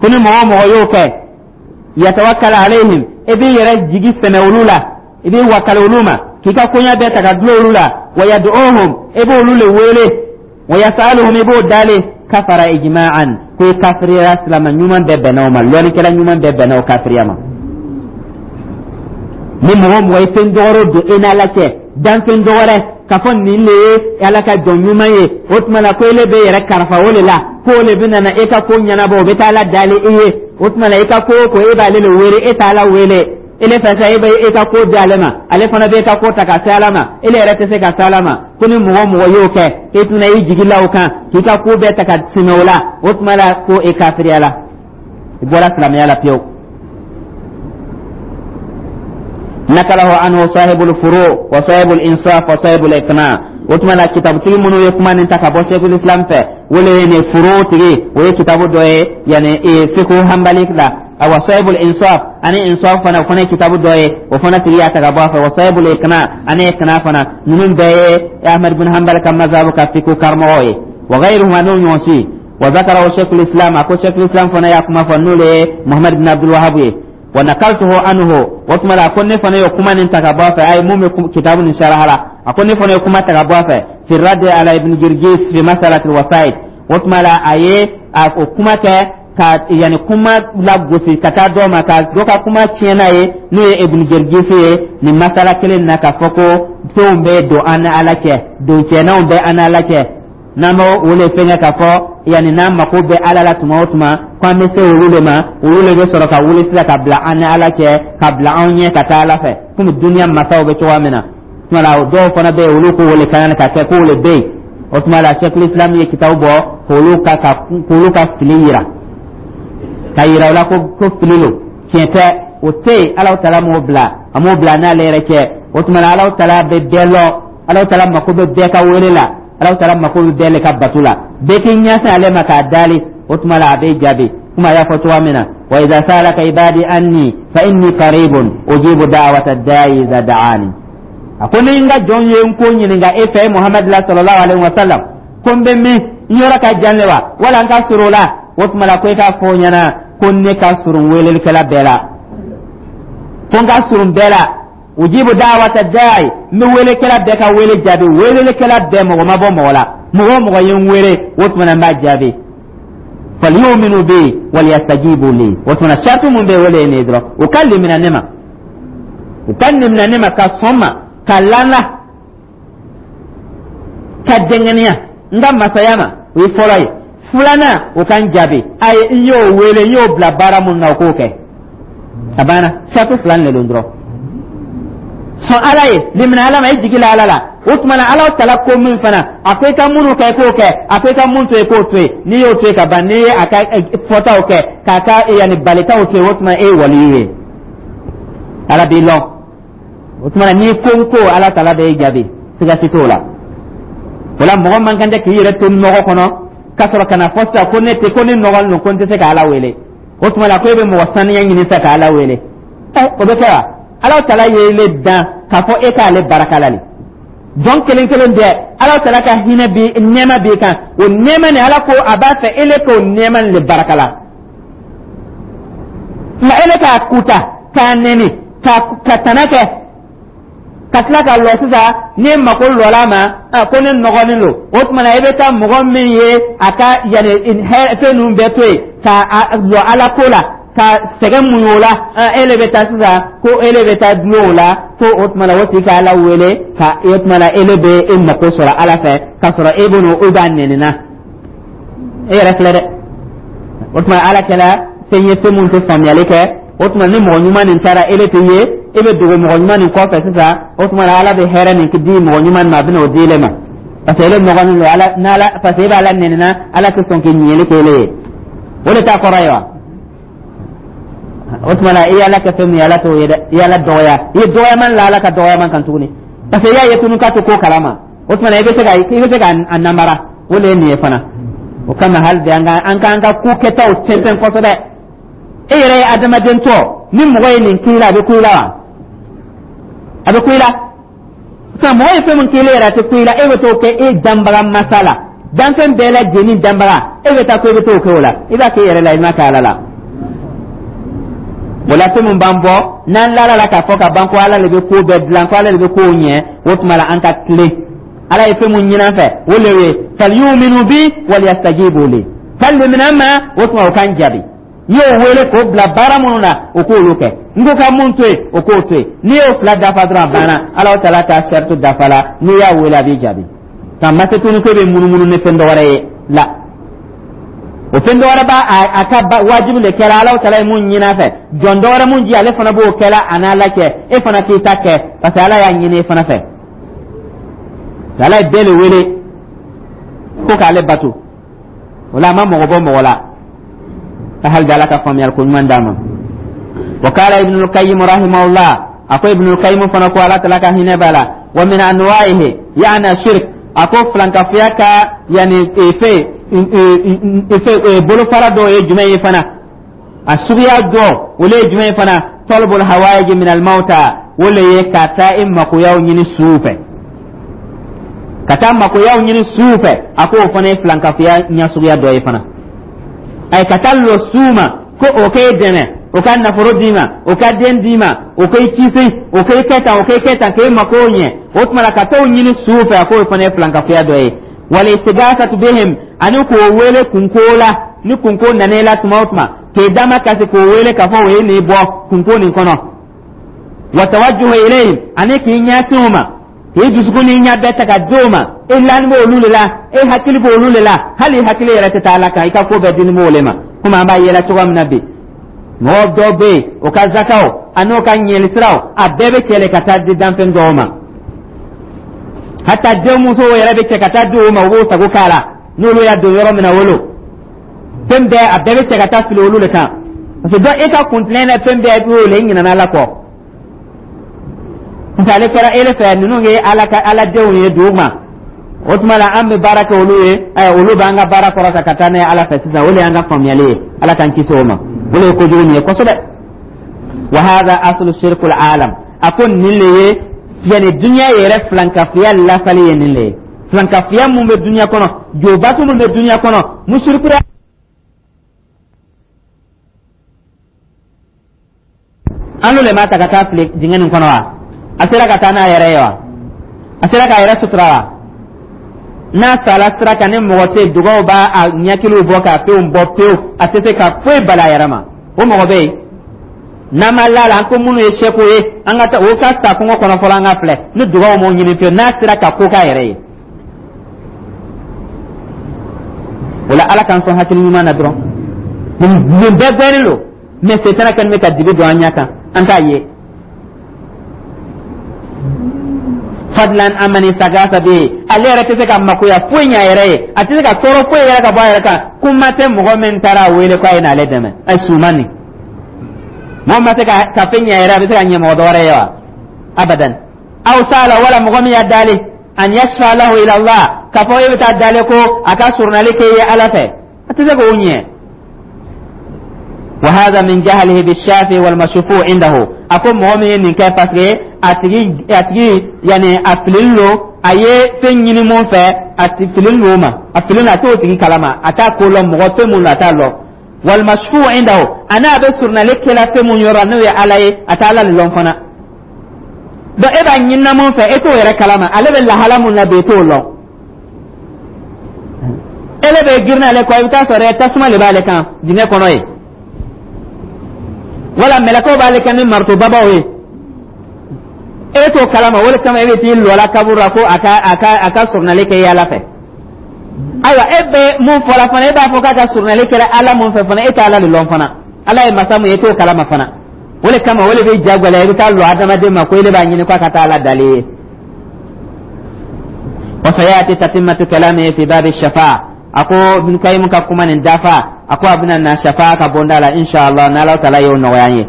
ko ni mɔgɔ o mɔgɔ y'o kɛ, yatawakkal alayhim, i b'i yɛrɛ jigi sɛmɛ olu la, i b'i wakali olu ma, k'i ka koɲa bɛɛ ta ka dulon olu la, wa yad'uhum, i b'olu le wele, wa yasaluhum, i b'o dalen, kafara ijma'an, ko i kafiriya. Silama ɲuman bɛɛ bɛnna o ma, lɔnnikɛla ɲuman bɛɛ bɛnna o kafiriya ma. Ni mɔgɔ mɔgɔ ye fɛn dɔgɔrɔ don e n'Ala cɛ, danfɛn dɔgɔrɛ, k'a fɔ nin le ye Ala ka jɔn ɲuman ye, o tuma la ko ele bɛ yɛrɛ karafa o de la, ko o de bɛ nana e ka ko ɲɛnabɔ, o bɛ taa Ala dali i ye, o tuma la, i ka ko o ko, e b'ale le wele, e t'Ala wele. Ele fɛ sa, e bɛ e ka ko di ale ma, ale fana bɛ e ka ko ta ka se Ala ma, ele yɛrɛ tɛ se ka se Ala ma. Ko ni mɔgɔ mɔgɔ y'o kɛ, e tɛna i jigi la o kan k'i ka ko bɛɛ ta ka sɛmɛ o la, o tuma la, ko e kafiriya la, i bɔra silamɛya la pewu. Nakalahu anhu sahibul furu wa sahibul insaf wa sahibul iqna. O tuma la, kitabutigi minnu ye kuma nin ta ka bɔ Sheikhul Islam fɛ, o le ye nin furu tigi, o ye kitabu dɔ ye, yani fiqh hanbali la. Awa, sahibul insaf ani insaf fana, o fana ye kitabu dɔ ye, o fana tigi y'a ta ka bɔ a fɛ. Wa sahibul iqna ani iqna fana, ninnu bɛɛ ye Ahmad bin Hanbal ka mazhabu ka fiqh karamɔgɔw ye. Wa ghayruhum, n'o ɲɔgɔn si. Wa zakarahu Sheikhul Islam, a ko Sheikhul Islam fana y'a kuma fɔ, n'o le ye Muhammad bin Abdul Wahhab ye. Wa nakaltuhu anhu, o tuma la, ko ne fana ye kuma nin ta ka bɔ a fɛ. Ayi, mun bɛ kitabu nin saraha la, a ko ne fana ye kuma ta ka bɔ a fɛ fi raddi ala Ibn Jirgis fi masalati wasaid. O tuma la, a ye a o kuma kɛ ka yanni kuma lagosi ka taa dɔ ma, ka dɔ ka kuma tiɲɛ n'a ye, n'o ye Ibn Jirgis ye, nin masala kelen na, k'a fɔ ko fɛnw bɛ don an ni Ala cɛ, doncɛnanw bɛ an ni Ala cɛ, n'an b'o o le fɛngɛ k'a fɔ yanni n'an mako bɛ Ala la tuma o tuma, ko an bɛ se olu de ma, olu de bɛ sɔrɔ ka wuli sisan ka bila an ni Ala cɛ, ka bila anw ɲɛ ka taa Ala fɛ, komi duniya masaw bɛ cogoya min na. Tuma la, dɔw fana bɛ yen, olu ko o le kan ka kɛ, k'o le bɛ yen. O tuma la, Sheikhul Islam ye kitabu bɔ k'olu ka ka k'olu ka fili yira, ka yira o la ko ko fili lo, tiɲɛ tɛ, o tɛ yen. Alahu Taala m'o bila, a m'o bila n'ale yɛrɛ cɛ. O tuma la, Alahu Taala bɛ bɛɛ lɔn. Alahu Taala mako bɛ bɛɛ ka wele la. Alahu Taala mako bɛ bɛɛ le ka bato la. Bɛɛ k'i ɲɛsin ale ma k'a dali, o tuma la, a bɛ jaabi, komi a y'a fɔ cogoya min na: "Wa idha sa'alaka ibadi anni fa inni qaribun ujibu da'wata da'i idha da'ani." A ko ni n ka jɔn ye n ko ɲininka e fɛ, Muhamadu la, sallallahu alaihi wa sallam, ko n bɛ min, n yɔrɔ ka jan le wa, wala n ka surun o la? O tuma la, ko i k'a fɔ o ɲɛna ko ne ka surun welelikɛla bɛɛ la, ko n ka surun bɛɛ la. "Ujibu da'wata da'i", n bɛ welekɛla bɛɛ ka wele jaabi. Welelikɛla bɛɛ, mɔgɔ ma bɔ mɔgɔ la, mɔgɔ o mɔgɔ ye n wele, o tuma na, n b'a jaabi. "Falyuminu bi waliyastajibu li". O tuma na, sarati mun bɛ yen, o de ye nin ye dɔrɔn: u ka limina ne ma, u ka limina ne ma, ka sɔn ma, ka lana, ka dɛngɛniya n ka masaya ma. O ye fɔlɔ ye. Filanan, o ka n jaabi. A ye n y'o wele, n y'o bila baara mun na, o k'o kɛ. A banna, sarati fila de don dɔrɔn: sɔn Ala ye, limina Ala ma, i jigi la Ala la. O tuma na, Ala tala ko min fana, a ko i ka minnu kɛ, i k'o kɛ, a ko i ka mun to yen, k'o to yen. N'i y'o to yen ka ban, n'i ye a ka fɔtaw kɛ, k'a ka yanni balitaw to yen, o tuma e ye waliyu ye, Ala b'i lɔn. O tuma na, n'i ko n ko, Ala tala b'e jaabi, siga si t'o la. O la, mɔgɔ man kan tɛ k'i yɛrɛ to nɔgɔ kɔnɔ k'a sɔrɔ ka na fɔ sisan ko ne tɛ, ko ne nɔgɔlen don, ko n tɛ se ka Ala wele. O tuma la, ko e bɛ mɔgɔ saniya ɲini sisan ka Ala wele. Ɛ, o bɛ kɛ wa? Ala tala ye le dan k'a fɔ e k'ale baraka la le. Jɔn kelen kelen bɛɛ, Ala tala ka hinɛ bi, nɛɛma b'i kan. O nɛɛma nin, Ala ko a b'a fɛ e le k'o nɛɛma nin le baraka la. Nka e le k'a kuta, k'a nɛni, ka ka tana kɛ, ka tila ka lɔ sisan, n'i mako lɔla ma ko ne nɔgɔlen don, o tuma na, e bɛ taa mɔgɔ min ye a ka yanni fɛn ninnu bɛɛ to yen ka lɔ Ala ko la, ka sɛgɛn muɲu o la, e le bɛ taa sisan ko e le bɛ taa dulon o la, ko o tuma na, o tigi ka Ala wele ka o tuma na, e le bɛ e mako sɔrɔ Ala fɛ, k'a sɔrɔ e bɛ n'o e b'a nɛni na, e yɛrɛ filɛ dɛ. O tuma, Ala kɛla fɛn ye, fɛn mun tɛ faamuyali kɛ. O tuma, ni mɔgɔ ɲuman nin taara, e le tɛ ye, e bɛ dogo mɔgɔ ɲuman nin kɔfɛ sisan. O tuma na, Ala bɛ hɛrɛ nin di mɔgɔ ɲuman ma, a bɛ n'o di ele ma, parce que ele nɔgɔlen don Ala n'Ala, parce que e bɛ Ala nɛni na, Ala tɛ sɔn k'i ɲininkali kɛ ele ye. O de t'a kɔrɔ ye wa? O tuma na, i ye Ala kɛ fɛn min ye, Ala t'o ye dɛ. I ye Ala dɔgɔya, i ye dɔgɔyaman la Ala ka dɔgɔyaman kan tuguni, parce que i y'a ye tunu k'a tɛ ko kalama. O tuma na, i bɛ se ka i bɛ se ka a namara. O de ye nin ye fana. O kama, hali bi, an ka an k'an ka ko kɛtaw tɛntɛn kosɛbɛ. E yɛrɛ ye adamaden tɔ, ni mɔgɔ ye nin k'i la, a bɛ ku i la wa? A bɛ ku i la. Sisan, mɔgɔ ye fɛn min k'i la yɛrɛ, a tɛ ku i la, e bɛ t'o kɛ e danbaga masa la, danfɛn bɛɛ lajɛlen danbaga. E bɛ taa ko e bɛ t'o kɛ o la, i b'a kɛ i yɛrɛ la, i m'a kɛ Ala la. O la, fɛn min b'an bɔ n'an lala la k'a fɔ ka ban ko Ala de bɛ ko bɛɛ dilan, ko Ala de bɛ kow ɲɛ, o tuma la, an ka tilen. Ala ye fɛn mun ɲini an fɛ, o le ye: "Falyuminu bi waliyastajibu li". Ka limina ma, o tuma, o k'an jaabi. N y'o wele k'o bila baara minnu na, o k'olu kɛ. N ko ka mun to yen, o k'o to yen. N'i y'o fila dafa dɔrɔn, a banna. Ala taala ka saritu dafa la. N'i y'a wele, a b'i jaabi. Ka ma se tuguni ko e bɛ munumunu ni fɛn dɔ wɛrɛ ye la, o fɛn dɔ wɛrɛ b'a a ka wajibi de kɛra. Ala taala ye mun ɲini a fɛ, jɔn dɔ wɛrɛ mun ji, ale fana b'o kɛla a n'Ala cɛ. E fana k'i ta kɛ, parce que Ala y'a ɲini e fana fɛ. Ala ye bɛɛ le wele ko k'ale bato. O la, a ma mɔgɔ bɔ mɔgɔ la. Ka hali bi, Ala ka faamuyali ko ɲuman d'a ma. Wa kala Ibnul Qayyim rahimahullah, a ko Ibnul Qayyim fana ko, Ala tala ka hinɛ b'a la: "Wa min anwa'ihi", yaani shirk, a ko filankafoya ka yani fe fe bolofara dɔw ye jumɛn ye fana? A suguya dɔ, o le ye jumɛn ye fana? "Talabul hawaiji min al mauta", o le ye ka taa i makoyaw ɲini suw fɛ, ka taa makoyaw ɲini suw fɛ. A ko o fana ye filankafoya ɲɛsuguya dɔ ye fana. Ayi, ka taa lɔ suw ma ko o k'e dɛmɛ, o ka nafolo d'i ma, o ka den d'i ma, o k'i kisi, o k'i kɛ tan, o k'i kɛ tan, k'e mako ɲɛ. O tuma la, ka t'o ɲini suw fɛ, a k'o fana ye filankafoya dɔ ye. "Wal istighasatu bihim", ani k'o wele kunko la. Ni kunko nana i la tuma o tuma, k'e dama kasi k'o wele k'a fɔ o ye nin bɔ kunko nin kɔnɔ. "Wa tawajjuhu ilayhim", ani k'i ɲɛsin o ma, k'i dusukun n'i ɲɛ bɛɛ ta ka di o ma. E lani b'olu de la, e hakili b'olu de la, hali i hakili yɛrɛ tɛ taa Ala kan, i ka ko bɛɛ dini b'o le ma. Komi an b'a yɛlɛ cogoya min na bi, mɔgɔ dɔw bɛ yen, o ka zakaw a n'o ka ɲɛli siraw, a bɛɛ bɛ cɛlɛ ka taa di danfɛn dɔw ma. Hata denmuso yɛrɛ bɛ cɛ ka taa di o ma, u b'o sago k'a la. N'olu y'a don yɔrɔ min na, wolo fɛn bɛɛ, a bɛɛ bɛ cɛ ka taa fili olu de kan, parce que dɔ e ka kuntilen na, fɛn bɛɛ b'o le, i ɲinɛna Ala kɔ, parce que ale kɛra e fɛ, ninnu ye Ala ka aladenw ye dugu ma. O tuma la, an bɛ baara kɛ olu ye, ɛ olu b'an ka baara kɔrɔta ka taa n'a ye Ala fɛ sisan. O de y'an ka faamuyali ye. Ala k'an kisi o ma. O de ye kojugu nin ye kosɛbɛ. Wa hadha aslu shirkul alam. A ko nin le ye, yani dunuya yɛrɛ filankafiya lafali ye nin le ye. Filankafiya mun bɛ dunuya kɔnɔ, jobatu mun bɛ dunuya kɔnɔ, musirikuya, an le ma ta ka taa fili dingɛ nin kɔnɔ wa? A sera ka taa n'a yɛrɛ ye wa? A sera k'a yɛrɛ sutura wa? N'a sala sira kan, ni mɔgɔ tɛ, dugaw b'a a ɲɛkiliw bɔ k'a fɛnw bɔ pewu, a tɛ se ka foyi bali a yɛrɛ ma. O mɔgɔ bɛ yen n'an ma la la, an ko minnu ye sɛko ye, an ka taa o ka sa kungo kɔnɔ fɔlɔ, an ka filɛ ni dugaw m'o ɲini fiyewu, n'a sera ka ko k'a yɛrɛ ye. O la, Ala k'an sɔn hakili ɲuman na dɔrɔn. Nin bɛɛ gbɛnnen don, mɛ setana kɛlen bɛ ka dibi don an ɲɛ kan, an t'a ye. Fadlan amani sagasa bɛ yen, ale yɛrɛ tɛ se ka makoya foyi ɲɛ a yɛrɛ ye, a tɛ se ka tɔɔrɔ foyi yɛrɛ ka bɔ a yɛrɛ kan. Kuma tɛ mɔgɔ min taara a wele k'a ye n'ale dɛmɛ. Ɛ suman nin, mɔgɔ ma se ka ka fɛn ɲɛ a yɛrɛ, a bɛ se ka ɲɛ mɔgɔ dɔ wɛrɛ ye wa? Abadan. Aw sala, wala mɔgɔ min y'a dali an yashfa lahu ila Allah, k'a fɔ e bɛ taa dale ko a ka surunali kɛ ye Ala fɛ, a tɛ se k'o ɲɛ. وهذا من جهله بالشافي والمشفوع عنده. Ako mɔgɔ min ye nin kɛ, parce que a tigi a tigi yani a fililen don, a ye fɛn ɲini mun fɛ, a ti fililen don o ma, a fililen, a t'o tigi kalama, a t'a ko lɔn, mɔgɔ fɛn mun don, a t'a lɔn. Walmashfu indahu, a n'a bɛ surunali kɛla fɛn mun yɔrɔ, n'o ye Ala ye, a t'a Ala de lɔn fana. Donc e b'a ɲinina mun fɛ, e t'o yɛrɛ kalama, ale bɛ lahala mun na bi, e t'o lɔn. Ele bɛ girin ale kɔ, i bɛ taa sɔrɔ tasuma de b'ale kan dingɛ kɔnɔ yen, wala mɛlɛkɛw b'ale kan ni maritobabaw ye, e t'o kalama. O de kama e bɛ t'i lɔ la kaburu la ko a ka a ka a ka surunali kɛ i Ala fɛ. Ayiwa, e bɛ mun fɔla fana, e b'a fɔ k'a ka surunali kɛra Ala mun fɛ fana, e tɛ Ala de lɔn fana. Ala ye masa mun ye, e t'o kalama fana. O de kama o de bɛ ja gɛlɛya, i bɛ taa lɔ adamaden ma ko e de b'a ɲini k'a ka taa Ala dalen ye. Wa sayati tatimmatu kalamihi fi babi shafa'a. A ko Ibn Qayyim ka kuma nin dafa, a ko a bɛna na shafa'a ka bonda la, inshallah, n'Ala taala y'o nɔgɔya an ye.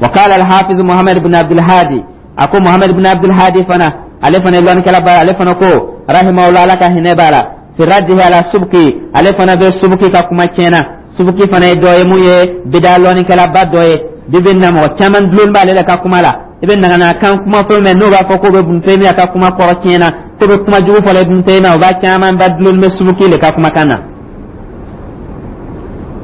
Wa qala al-hafiz Muhammad ibn Abdul Hadi. A ko Muhammad ibn Abdul Hadi fana, ale fana ye lɔnnikɛla ba ye, ale fana ko, rahimahullah, Ala ka hinɛ b'a la, fi raddihi ala Subki, ale fana bɛ Subki ka kuma tiɲɛna. Subki fana ye dɔ ye mun ye bida lɔnnikɛla ba dɔ ye. Bi bi na, mɔgɔ caman dulon b'ale la ka kuma la. I bɛ nagana kan kuma fɛn mɛn, n'o b'a fɔ k'o bɛ Ibn Taymiya ka kuma kɔrɔ tiɲɛna, k'o bɛ kuma jugu fɔla Ibn Taymiya, o b'a caman ba dulon bɛ Subki le ka kumakan na.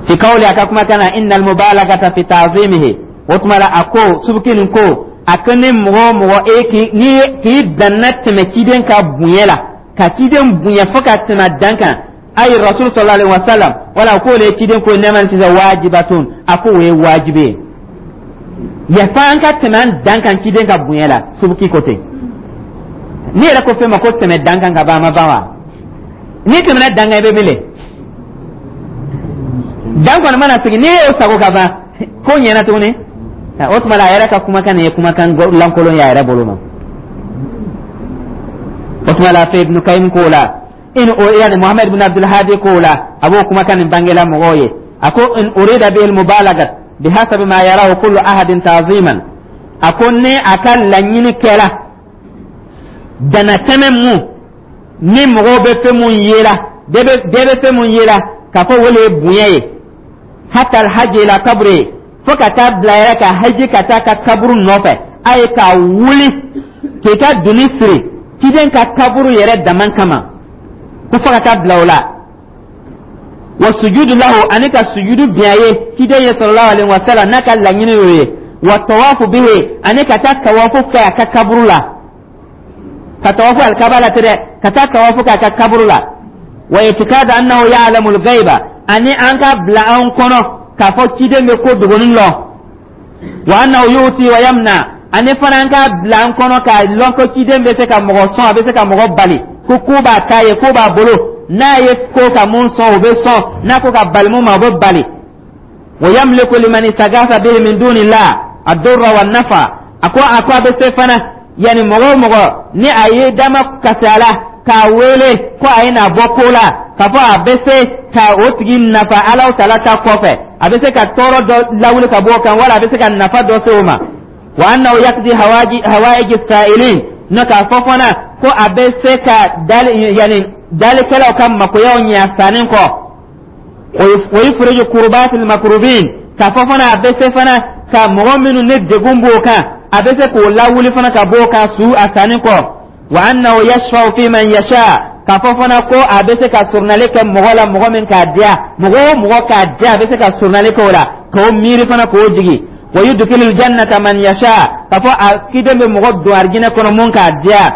Fi qawli, a ka kumakan na, innal mubalagata fi ta'zimihi. O tuma la, a ko Subki nin ko, a ko ni mɔgɔ o mɔgɔ e k'i ni k'i danna tɛmɛ ciden ka bonya la, ka ciden bonya fo ka tɛmɛ dan kan, ayi rasul sallallahu alaihi wasallam, wala k'o le ye ciden ko nɛɛma ni sisan wajibatun, a ko o ye wajibi ye, yafa an ka tɛmɛ an dan kan ciden ka bonya la. Subuki ko ten. N'i yɛrɛ ko fɛn ma ko tɛmɛ dan kan ka ban, a ma ban wa? N'i tɛmɛna dan kan, i bɛ min le dan kɔni mana sigi, n'i y'o sago ka ban, ko ɲɛna tuguni. O tuma la, a yɛrɛ ka kumakan nin ye kumakan lankolon ye a yɛrɛ bolo ma. O tuma la, fɛ Ibn Qayyim k'o la, in o yani Muhammad ibn Abdul Hadi k'o la, a b'o kumakan nin bangela mɔgɔw ye. A ko in urida bihi al mubalagat bihasabi ma yarahu kullu ahadin ta'ziman. A ko ni a ka laɲini kɛra danatɛmɛ mun ni mɔgɔw bɛ fɛn mun yela, bɛɛ bɛ fɛn mun yela k'a fɔ o de ye bonya ye, hatta alhajj ila kabri, fo ka taa bila yɛrɛ ka haji ka taa ka kaburu nɔfɛ, a ye k'a wuli k'i ka doni siri ciden ka kaburu yɛrɛ dama kama, ko fo ka taa bila o la, wa sujudu lahu, ani ka sujudu bin a ye ciden ye sallallahu alaihi wa sallam, n'a ka laɲini y'o ye, wa tawafu bihi, ani ka taa tawafu kɛ a ka kaburu la, ka tawafu alikaba la tɛ dɛ, ka taa tawafu kɛ a ka kaburu la, wa itikadu annahu ya'lamul ghaiba, ani an ka bila an kɔnɔ k'a fɔ ciden bɛ ko dogonin lɔn, wa annahu yuti wa yamna, ani fana an ka bila an kɔnɔ k'a lɔn ko ciden bɛ se ka mɔgɔ sɔn, a bɛ se ka mɔgɔ bali, ko ko b'a ta ye, ko b'a bolo, n'a ye ko ka mun sɔn, o bɛ sɔn, n'a ko ka bali mun ma, o bɛ bali, wa yamliku liman istaghatha bihi min dunillah ad-durra wan nafa. A ko a ko a bɛ se fana. Yani mɔgɔ o mɔgɔ ni a ye dama kasi a la k'a wele ko a ye n'a bɔ ko la, k'a fɔ a bɛ se ka o tigi nafa Alahu Taala ta kɔfɛ, a bɛ se ka tɔɔrɔ dɔ lawuli ka bɔ o kan, wala a bɛ se ka nafa dɔ se o ma. Wa annahu yaqdi hawaiji sa'ilin, n'o k'a fɔ fana ko a bɛ se ka dali, yani dalikɛlaw ka makoyaw ɲɛ a sanni kɔ. Wa yufriju kurbatil makrubin, k'a fɔ fana a bɛ se fana ka mɔgɔ minnu ni degun b'o kan, a bɛ se k'o lawuli fana ka bɔ o kan su a sanni kɔ. Wa annahu yashfa'u fi man yasha, k'a fɔ fana ko a bɛ se ka surunali kɛ mɔgɔ la, mɔgɔ min k'a diya, mɔgɔ o mɔgɔ k'a diya, a bɛ se ka surunali kɛ o la, k'o miiri fana k'o jigi. Wa yudkhilu jannata man yasha, k'a fɔ a kiden bɛ mɔgɔ don arijinɛ kɔnɔ mun k'a diya.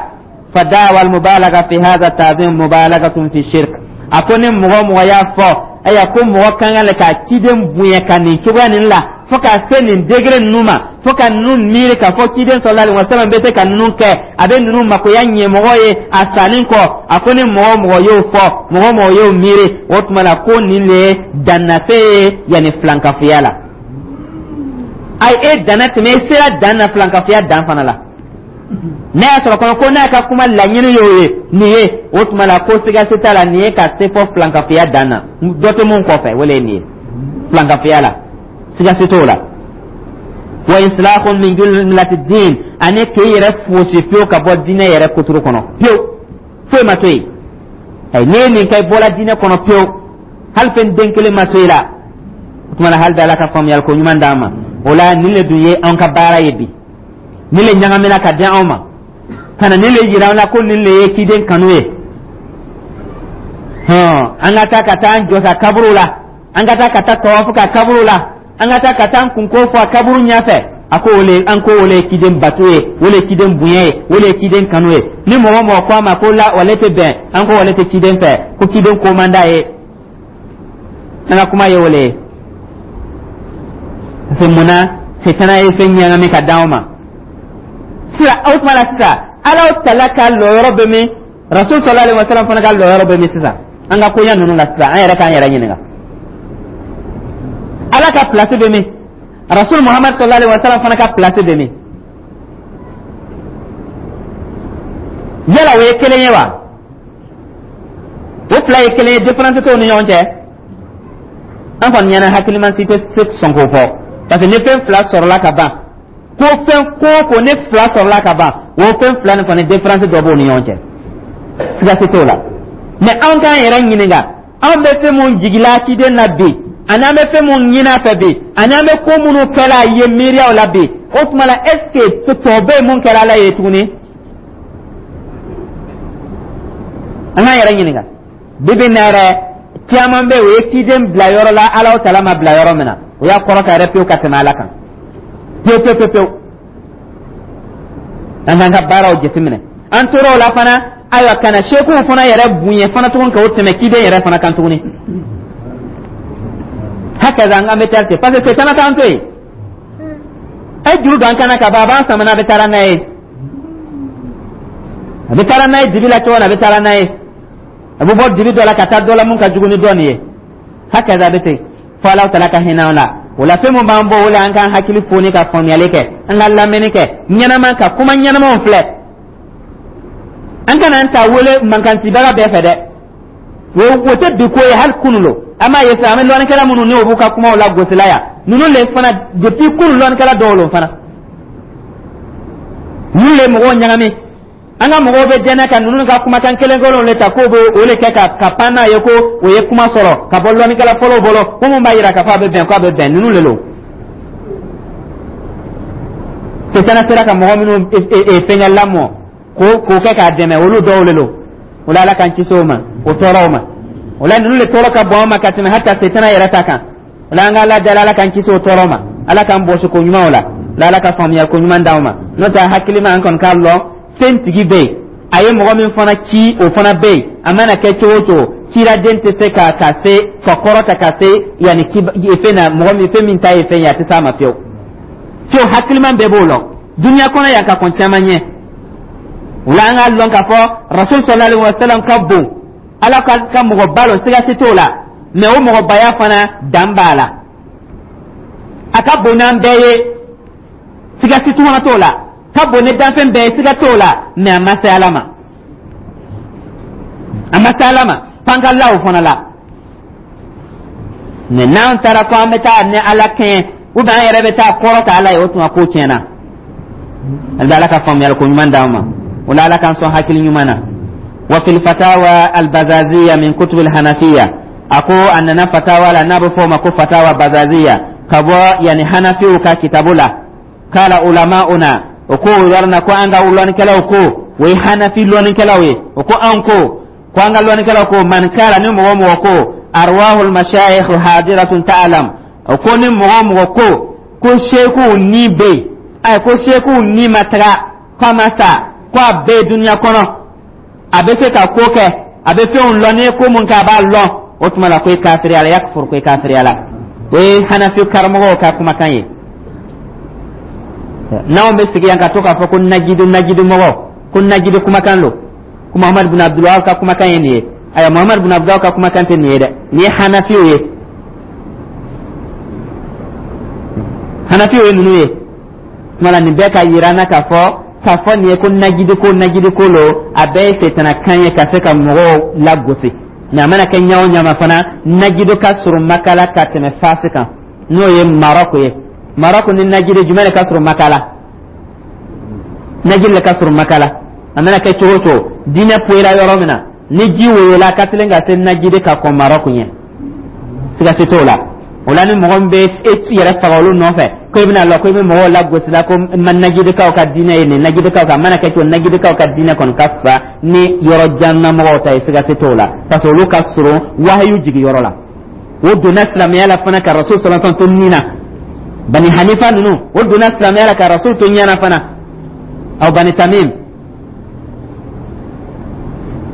Fa da'wa al mubalaga fi hadha ta'zim mubalagatun fi shirk. A ko ni mɔgɔ mɔgɔ y'a fɔ ayiwa ko mɔgɔ kan ka ka ciden bonya ka nin cogoya nin la, fo ka se nin degré ninnu ma, fo ka ninnu miiri k'a fɔ ciden sallallahu alaihi wasallam bɛ se ka ninnu kɛ, a bɛ ninnu makoya ɲɛmɔgɔ ye a sanni kɔ, a ko ni mɔgɔ mɔgɔ y'o fɔ, mɔgɔ mɔgɔ y'o miiri, o tuma la ko nin le ye dannase ye, yanni filankafoya la. Ayi, e danna tɛmɛ, e sera dan na filankafoya dan fana la. N'a y'a sɔrɔ kɔnɔ ko n'a ka kuma laɲini y'o ye nin ye, o tuma la ko sigasi t'a la, nin ye ka se fɔ filankafoya dan na, dɔ tɛ mun kɔfɛ, o le ye nin ye filankafoya la, sigasi t'o la. Wa insilahun min jumlati din, ani k'i yɛrɛ fosi pewu ka bɔ diinɛ yɛrɛ kuturu kɔnɔ pewu, foyi ma to yen. Ayi, n'i ye nin kɛ, i bɔra diinɛ kɔnɔ pewu, hali fɛn den kelen ma to i la. O tuma na, hali bi Ala ka faamuyali ko ɲuman d'an ma o la. Nin le dun ye anw ka baara ye bi, nin le ɲagamina ka di anw ma ka na nin le yira an na ko nin le ye ciden kanu ye. Hɔn, an ka taa ka taa an jɔ sa kaburu la, an ka taa ka taa tawafu ka kaburu la, an ka taa ka taa an kunko fɔ a kaburu ɲɛfɛ. A ko o le, an ko o le ye ciden bato ye, o le ye ciden bonya ye, o le ye ciden kanu ye. Ni mɔgɔ mɔgɔ ko a ma ko la wale tɛ bɛn, an ko wale tɛ ciden fɛ, ko ciden ko man d'a ye. An ka kuma ye o le ye, parce que munna setana ye fɛn ɲagami ka d'anw ma sisan? O tuma la sisan, Alahu Tala ka lɔyɔrɔ bɛ min? Rasul sallallahu alaihi wasallam fana ka lɔyɔrɔ bɛ min sisan an ka koɲɛ ninnu la sisan? An yɛrɛ k'an yɛrɛ ɲininka, Ala ka place bɛ min? Rasul Muhammad sallallahu alaihi wasallam fana ka place bɛ min? Yala o ye kelen ye wa? O fila ye kelen ye? Différence t'o ni ɲɔgɔn cɛ? An kɔni ɲɛna hakiliman si tɛ se sɔn k'o fɔ, parce que ni fɛn fila sɔrɔla ka ban, ko fɛn ko o ko ni fila sɔrɔla ka ban, o fɛn fila nin kɔni, différence dɔ b'o ni ɲɔgɔn cɛ, siga si t'o la. Mais anw k'an yɛrɛ ɲininka, anw bɛ fɛn mun jigila ciden na bi, ani an bɛ fɛn mun ɲini a fɛ bi, ani an bɛ ko minnu kɛla a ye miiriyaw la bi, o tuma la, est ce que tɔ bɛ yen mun kɛra Ala ye tuguni? An k'an yɛrɛ ɲininka. Bibi na yɛrɛ, caman bɛ yen, o ye ciden bila yɔrɔ la Ala tala ma bila yɔrɔ min na, o y'a kɔrɔta yɛrɛ pewu ka tɛmɛ Ala kan pewu pewu pewu pewu. An k'an ka baaraw jateminɛ. An tora o la fana, ayiwa, ka na sekuw fana yɛrɛ bonya fana tuguni k'o tɛmɛ ciden yɛrɛ fana kan tuguni. Hakaza an bɛ taa ten, parce que setana t'an to yen. A ye juru don an kana ka ban, a b'an sama n'a bɛ taa n'a ye, a bɛ taa n'a ye dibi la cogo min na, a bɛ taa n'a ye, a bɛ bɔ dibi dɔ la ka taa dɔ la mun ka jugu ni dɔ nin ye. Hakaza a bɛ ten fo Ala tala ka hinɛ an la. O la, fɛn mun b'an bɔ o la, an k'an hakili foni ka faamuyali kɛ, an ka lamɛnni kɛ ɲɛnama, ka kuma ɲɛnamaw filɛ. An kana an ta wele mankancibaga bɛɛ fɛ dɛ, o o tɛ bi ko ye, hali kunun lo an b'a ye sisan. An bɛ lɔnnikɛla minnu ni o b'u ka kumaw la gosila yan, ninnu le fana, depuis kunun lɔnnikɛla dɔw lo fana, ninnu le mɔgɔw ɲagami. An ka mɔgɔw bɛ dɛnɛ ka ninnu ka kumakan kelen kelenw le ta k'o bɛ o le kɛ ka ka pan n'a ye ko o ye kuma sɔrɔ ka bɔ lɔnnikɛla fɔlɔw bolo, ko mun b'a yira k'a fɔ a bɛ bɛn, ko a bɛ bɛn. Ninnu le lo setana sera ka mɔgɔ minnu fɛngɛ lamɔ k'o k'o kɛ k'a dɛmɛ, olu dɔw le lo. O la, Ala k'an kisi o ma, o tɔɔrɔw ma. O la, ninnu le tɔɔrɔ ka bon an ma ka tɛmɛ hata setana yɛrɛ ta kan. O la, an ka Ala dali, Ala k'an kisi o tɔɔrɔ ma, Ala k'an bɔsi ko ɲumanw la la, Ala ka faamuya ko ɲuman d'anw ma. N'o tɛ, hakilima an kɔni k'a lɔn fɛn tigi bɛ yen, a ye mɔgɔ min fana ci, o fana bɛ yen. A mana kɛ cogo o cogo, ciraden tɛ se ka ka se ka kɔrɔta ka se yanni fɛn na, mɔgɔ min fɛn min ta ye fɛn ye, a tɛ s'a ma fiyewu fiyewu. Hakiliman bɛɛ b'o lɔn duniya kɔnɔ yan ka kɔn caman ɲɛ. O la, an k'a lɔn k'a fɔ Rasul sallallahu alaihi wa sallam ka bon, Ala ka ka mɔgɔba lɔ, siga si t'o la. Mais o mɔgɔbaya fana, dan b'a la. A ka bon n'an bɛɛ ye, siga si fana t'o la. Ka bon ni danfɛn bɛɛ ye, siga t'o la, mais a ma se Ala ma, a ma se Ala ma. F'an ka la o fana la. Mais n'an taara ko an bɛ taa ni Ala kɛɲɛ ou bien an yɛrɛ bɛ taa kɔrɔ ta Ala ye, o tuma ko tiɲɛna. Ali bɛ Ala ka faamuyali ko ɲuman d'an ma. O la, Ala k'an sɔn hakili ɲuman na. Wa fil fatawa albazaziya min kutub alhanafiya, a ko a nana fatawa la n'a bɛ fɔ o ma ko fatawa bazaziya, ka bɔ yani hanafiw ka kitabu la. Kala ulama'una, o ko o yɔrɔ na ko an ka lɔnnikɛlaw ko, o ye hanafi lɔnnikɛlaw ye, o ko an ko ko an ka lɔnnikɛlaw ko, man kala, ni mɔgɔ mɔgɔ ko arwahul mashayikh hadiratun ta'lam, o ko ni mɔgɔ mɔgɔ ko ko sekuw ni bɛ yen, ayi, ko sekuw ni ma taga, ko a ma sa, ko a bɛ duniya kɔnɔ, a bɛ se ka ko kɛ, a bɛ fɛnw lɔn, n'i ye ko mun kɛ a b'a lɔn, o tuma la ko i kafiriya la, yakfur, ko i kafiriya la. O ye hanafi karamɔgɔw ka kumakan ye. N'anw bɛ sigi yan ka to k'a fɔ ko najidu, najidu mɔgɔ, ko najidu kumakan lo, ko Muhamadu bin Abdulwahab ka kumakan ye nin ye. Ayiwa, Muhamadu bin Abdulwahab ka kumakan tɛ nin ye dɛ, nin ye hanafiw ye, hanafiw ye ninnu ye. Tuma la nin bɛɛ ka yira an na k'a fɔ k'a fɔ nin ye ko najidi ko najidi ko lo, a bɛɛ ye setana kan ye ka se ka mɔgɔw lagosi. Mais a mana kɛ ɲa o ɲa ma fana, najidu ka surun Maka la ka tɛmɛ Fasi kan, n'o ye Marɔku ye. Marɔku ni najidi, jumɛn de ka surun Maka la? Najidi de ka surun Maka la. A mana kɛ cogo o cogo, diinɛ poyira yɔrɔ min na, ni ji woyola ka teli ka se najidi ka kɔn Marɔku ɲɛ, siga si t'o la. O la, ni mɔgɔ min bɛ e yɛrɛ faga olu nɔfɛ ko i bɛna lɔ ko i bɛ mɔgɔw lagosi la ko najidikaw ka diinɛ ye nin, najidikaw ka, a mana kɛ cogo, najidikaw ka diinɛ kɔni ka fisa ni yɔrɔ jan na mɔgɔw ta ye, siga si t'o la, parce que olu ka surun wahayu jigi yɔrɔ la. O donna silamɛya la fana ka Rasul sallallahu alaihi wasallam to nin na. Bani Hanifa ninnu, o donna silamɛya la ka Rasul to ɲɛna fana, aw Bani Tamim.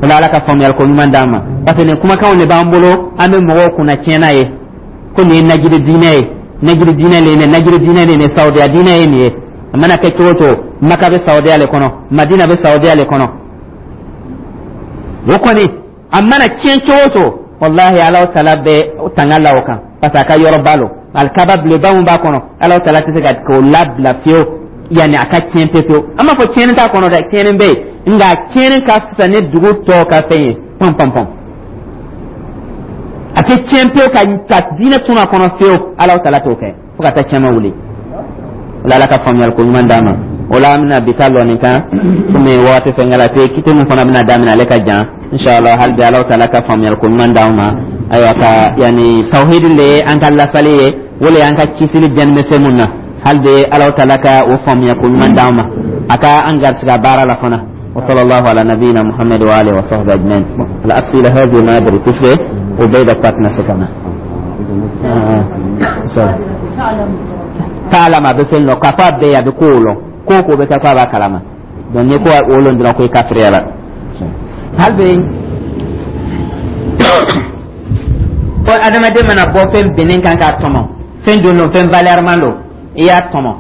O la, Ala ka faamuyali ko ɲuman d'an ma, parce que nin kumakanw de b'an bolo, an bɛ mɔgɔw kunna tiɲɛna ye ko nin ye najidi diinɛ ye, najidi diinɛ le ye nin, najidi diinɛ le ye nin, Saudiya diinɛ ye nin ye. A mana kɛ cogo o cogo, Maka bɛ Saudiya le kɔnɔ, Madina bɛ Saudiya le kɔnɔ. O kɔni, a mana tiɲɛ cogo o cogo, walahi, Alahu taala bɛ tanga la o kan, parce que a ka yɔrɔba lo, alikaba beleba mun b'a kɔnɔ, Alahu taala tɛ se ka k'o labila fiyewu yanni a ka tiɲɛ pewu pewu. An b'a fɔ tiɲɛni t'a kɔnɔ dɛ, tiɲɛni bɛ yen, nka tiɲɛni ka fisa ni dugu tɔw ka fɛn ye pɔn pɔn pɔn. A tɛ tiɲɛ pewu ka ka diinɛ tunu a kɔnɔ fiyewu, Alahu taala t'o kɛ fo ka taa tiɲɛma wuli. O la, Ala ka faamuyali ko ɲuman d'an ma. O la, an bɛna bi ta lɔ nin kan komi wagati fɛn kɛra pe kiti min fana bɛna daminɛ, ale ka jan inshallah. Hali bi, Alahu taala ka faamuyali ko ɲuman d'an ma. Ayiwa, ka yanni tawhidi le ye an ka lasali ye, o le y'an ka kisili jɛni bɛ fɛn mun na. Hali bi, Alahu taala ka o faamuya ko ɲuman d'an ma, a ka an garisɛgɛ baara la fana. وصلى الله على نبينا محمد وآله وصحبه أجمعين. الأسئلة هذه ما أدري puisque وبيدا باتنا سكنا تعلم a bɛ fɛn lɔ k'a fɔ a bɛɛ ye, a bɛ kow lɔn, ko o ko bɛ kɛ ko a b'a kalama. Donc n'i ko o lɔn dɔrɔn, ko i kafiriya la. Hali bi, ko adamaden mana bɔ fɛn binnen kan k'a tɔmɔ, fɛn don don, fɛn valeur don, i y'a tɔmɔ,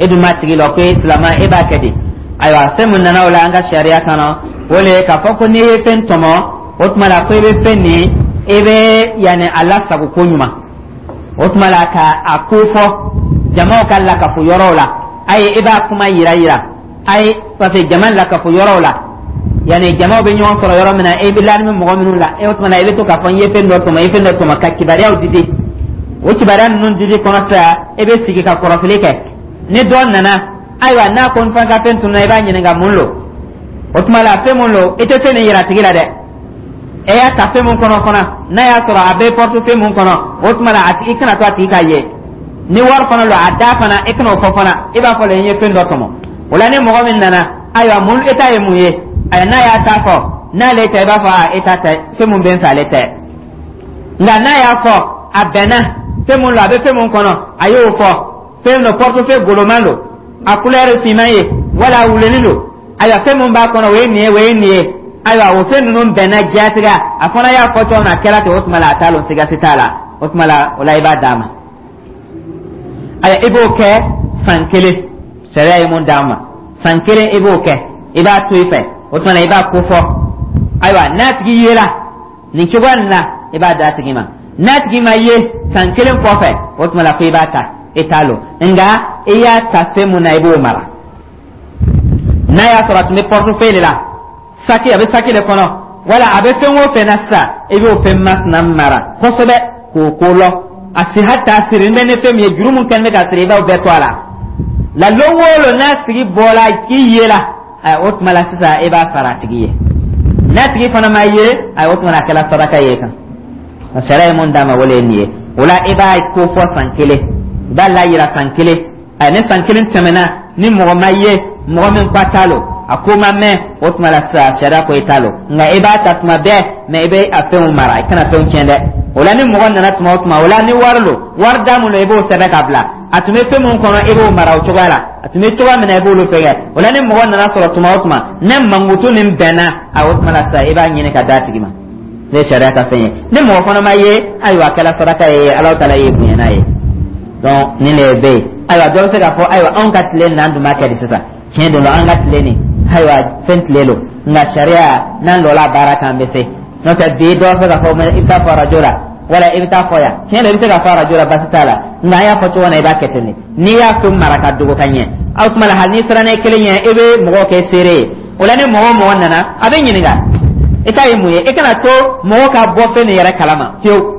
e dun m'a tigi lɔ ko e silama, e b'a kɛ di? Ayiwa, fɛn mun nana o la an ka sariya kɔnɔ, o le ye k'a fɔ ko n'i ye fɛn tɔmɔ, o tuma la ko i bɛ fɛn nin, i bɛ yanni a lasago ko ɲuman, o tuma la ka a ko fɔ jamaw ka lakafo yɔrɔw la. Ayi, i b'a kuma yira yira, ayi, parce que jama lakafo yɔrɔw la, yanni jamaw bɛ ɲɔgɔn sɔrɔ yɔrɔ min na, e bɛ lani bɛ mɔgɔ minnu la, e o tuma la i bɛ to k'a fɔ n ye fɛn dɔ tɔmɔ, i ye fɛn dɔ tɔmɔ, ka kibaruyaw di di. O kibaruya ninnu didi kɔnɔ sisan, e bɛ sigi ka kɔrɔfili kɛ. Ni dɔ nana, ayiwa, n'a ko n fana ka fɛn tununa, i b'a ɲininka mun lo. O tuma la, fɛn mun lo, i tɛ fɛn nin yira a tigi la dɛ. E y'a ta fɛn mun kɔnɔ fana, n'a y'a sɔrɔ a bɛ portefeuille mun kɔnɔ, o tuma la a tigi, i kana to a tigi k'a ye. Ni wari fana lo, a da fana, i kana o fɔ fana. I b'a fɔ le n ye fɛn dɔ tɔmɔ. O la, ni mɔgɔ min nana, ayiwa, mun e ta ye mun ye? Ayiwa, n'a y'a ta fɔ, n'ale tɛ, i b'a fɔ a e ta tɛ, fɛn mun bɛ n fɛ, ale tɛ. Nka n'a y'a fɔ a bɛnna fɛn mun lo, a bɛ fɛn mun kɔnɔ, a y'o fɔ, fɛn dɔ portefeuille goloman lo, a couleur finman ye wala a wulenin don, ayiwa, fɛn mun b'a kɔnɔ, o ye nin ye, o ye nin ye. Ayiwa, o fɛn ninnu bɛnna diyatigɛ, a fana y'a fɔ cogo min na, a kɛra ten. O tuma la, a t'a lɔn, siga si t'a la. O tuma la, o la i b'a d'a ma. Ayiwa, i b'o kɛ san kelen. Sariya ye mun d'a ma? San kelen i b'o kɛ, i b'a to i fɛ. O tuma la, i b'a ko fɔ. Ayiwa, n'a tigi yela nin cogoya nin na, i b'a d'a tigi ma. N'a tigi ma ye san kelen kɔfɛ, o tuma la ko i b'a ta, i t'a lɔn, nka i y'a ta fɛn mun na, i b'o mara. N'a y'a sɔrɔ a tun bɛ portefeuille de la, saki, a bɛ saki de kɔnɔ, wala a bɛ fɛn o fɛn na sisan, i b'o fɛn masina mara kosɛbɛ k'o ko lɔ a si, hali a siri bɛ ni fɛn min ye, juru mun kɛlen bɛ ka siri, i b'o bɛɛ to a la la. Lon o lon n'a tigi bɔra k'i ye la, o tuma la sisan i b'a sara a tigi ye. N'a tigi fana ma ye, o tuma la a kɛra saraka ye kan. Sariya ye mun d'a ma, o de ye nin ye. O la, i b'a ko fɔ san kelen, i b'a layira san kelen. A ni san kelen tɛmɛna ni mɔgɔ ma ye, mɔgɔ min ko a t'a lo, a ko ma mɛn, o tuma la sisan sariya ko i t'a lo. Nka i b'a ta tuma bɛɛ, mɛ i bɛ a fɛnw mara, i kana fɛnw tiɲɛ dɛ. O la, ni mɔgɔ nana tuma o tuma, o la ni wari lo, wari da mun lo, i b'o sɛbɛn ka bila. A tun bɛ fɛn mun kɔnɔ, i b'o mara o cogoya la. A tun bɛ cogoya min na, i b'olu fɛngɛ. O la, ni mɔgɔ nana sɔrɔ tuma o tuma, ne mankutu nin bɛnna a, o tuma la sisan i b'a ɲini ka d'a tigi ma. Ne sariya ka fɛn ye, ni mɔgɔ fana ma ye, ayiwa, a kɛra saraka ye, Alahu taala ye bonya n'a ye. Donc nin de bɛ yen. Ayiwa, dɔ bɛ se k'a fɔ: ayiwa, anw ka tile nin, an dun b'a kɛ di sisan? Tiɲɛ don, an ka tile nin, ayiwa, fɛn tile lo, nka sariya n'an lɔla a baara kan, an bɛ se. N'o tɛ, bi dɔ bɛ se k'a fɔ i bɛ taa fɔ arajo la, wala i bɛ taa fɔ yan. Tiɲɛ don, i bɛ se k'a fɔ arajo la, baasi t'a la, nka an y'a fɔ cogo min na, i b'a kɛ ten de. N'i y'a to mara ka dogo ka ɲɛ, aw tuma la, hali n'i siranna i kelen ɲɛ, i bɛ mɔgɔw kɛ seere ye. O la, ni mɔgɔ o mɔgɔ nana, a bɛ ɲininka i ta ye mun ye. I kana to mɔgɔ ka bɔ fɛn nin yɛrɛ kalama fiyewu.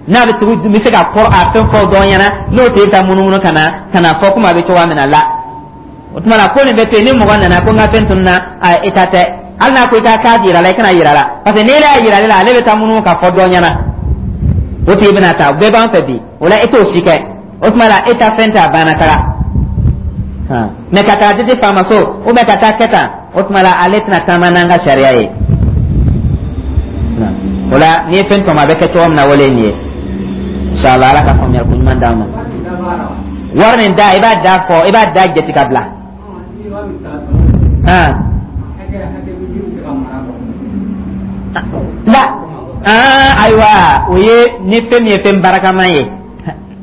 N'a bɛ tugu, bɛ se ka kɔrɔ a fɛn fɔ dɔn ɲɛna, n'o tɛ taa munumunu ka na ka na fɔ komi a bɛ cogoya min na la. O tuma na, ko nin bɛ to yen. Ni mɔgɔ nana ko n ka fɛn tununna, a i ta tɛ. Hali n'a ko i ka k'a yira la, i kana yira la, parce que n'i y'a yira ale la, ale bɛ taa munumunu ka fɔ dɔ ɲɛna, o tigi bɛna taa. O bɛɛ b'an fɛ bi. O la, e t'o si kɛ. O tuma la, e ta fɛn tɛ, a banna taga. Mɛ ka taa di faama so, ou bien ka taa kɛ tan, o tuma la, ale tɛna taama n'an ka sariya ye. O la, n'i ye fɛn tɔmɔ, a bɛ kɛ cogo min na, o de ye nin ye. Inshallah, Ala ka faamuyali ko ɲuman d'an ma. Wari nin da, i b'a da fɔ, i b'a da jate ka bila. Han la, ayiwa, o ye ni fɛn min ye, fɛn barakama ye.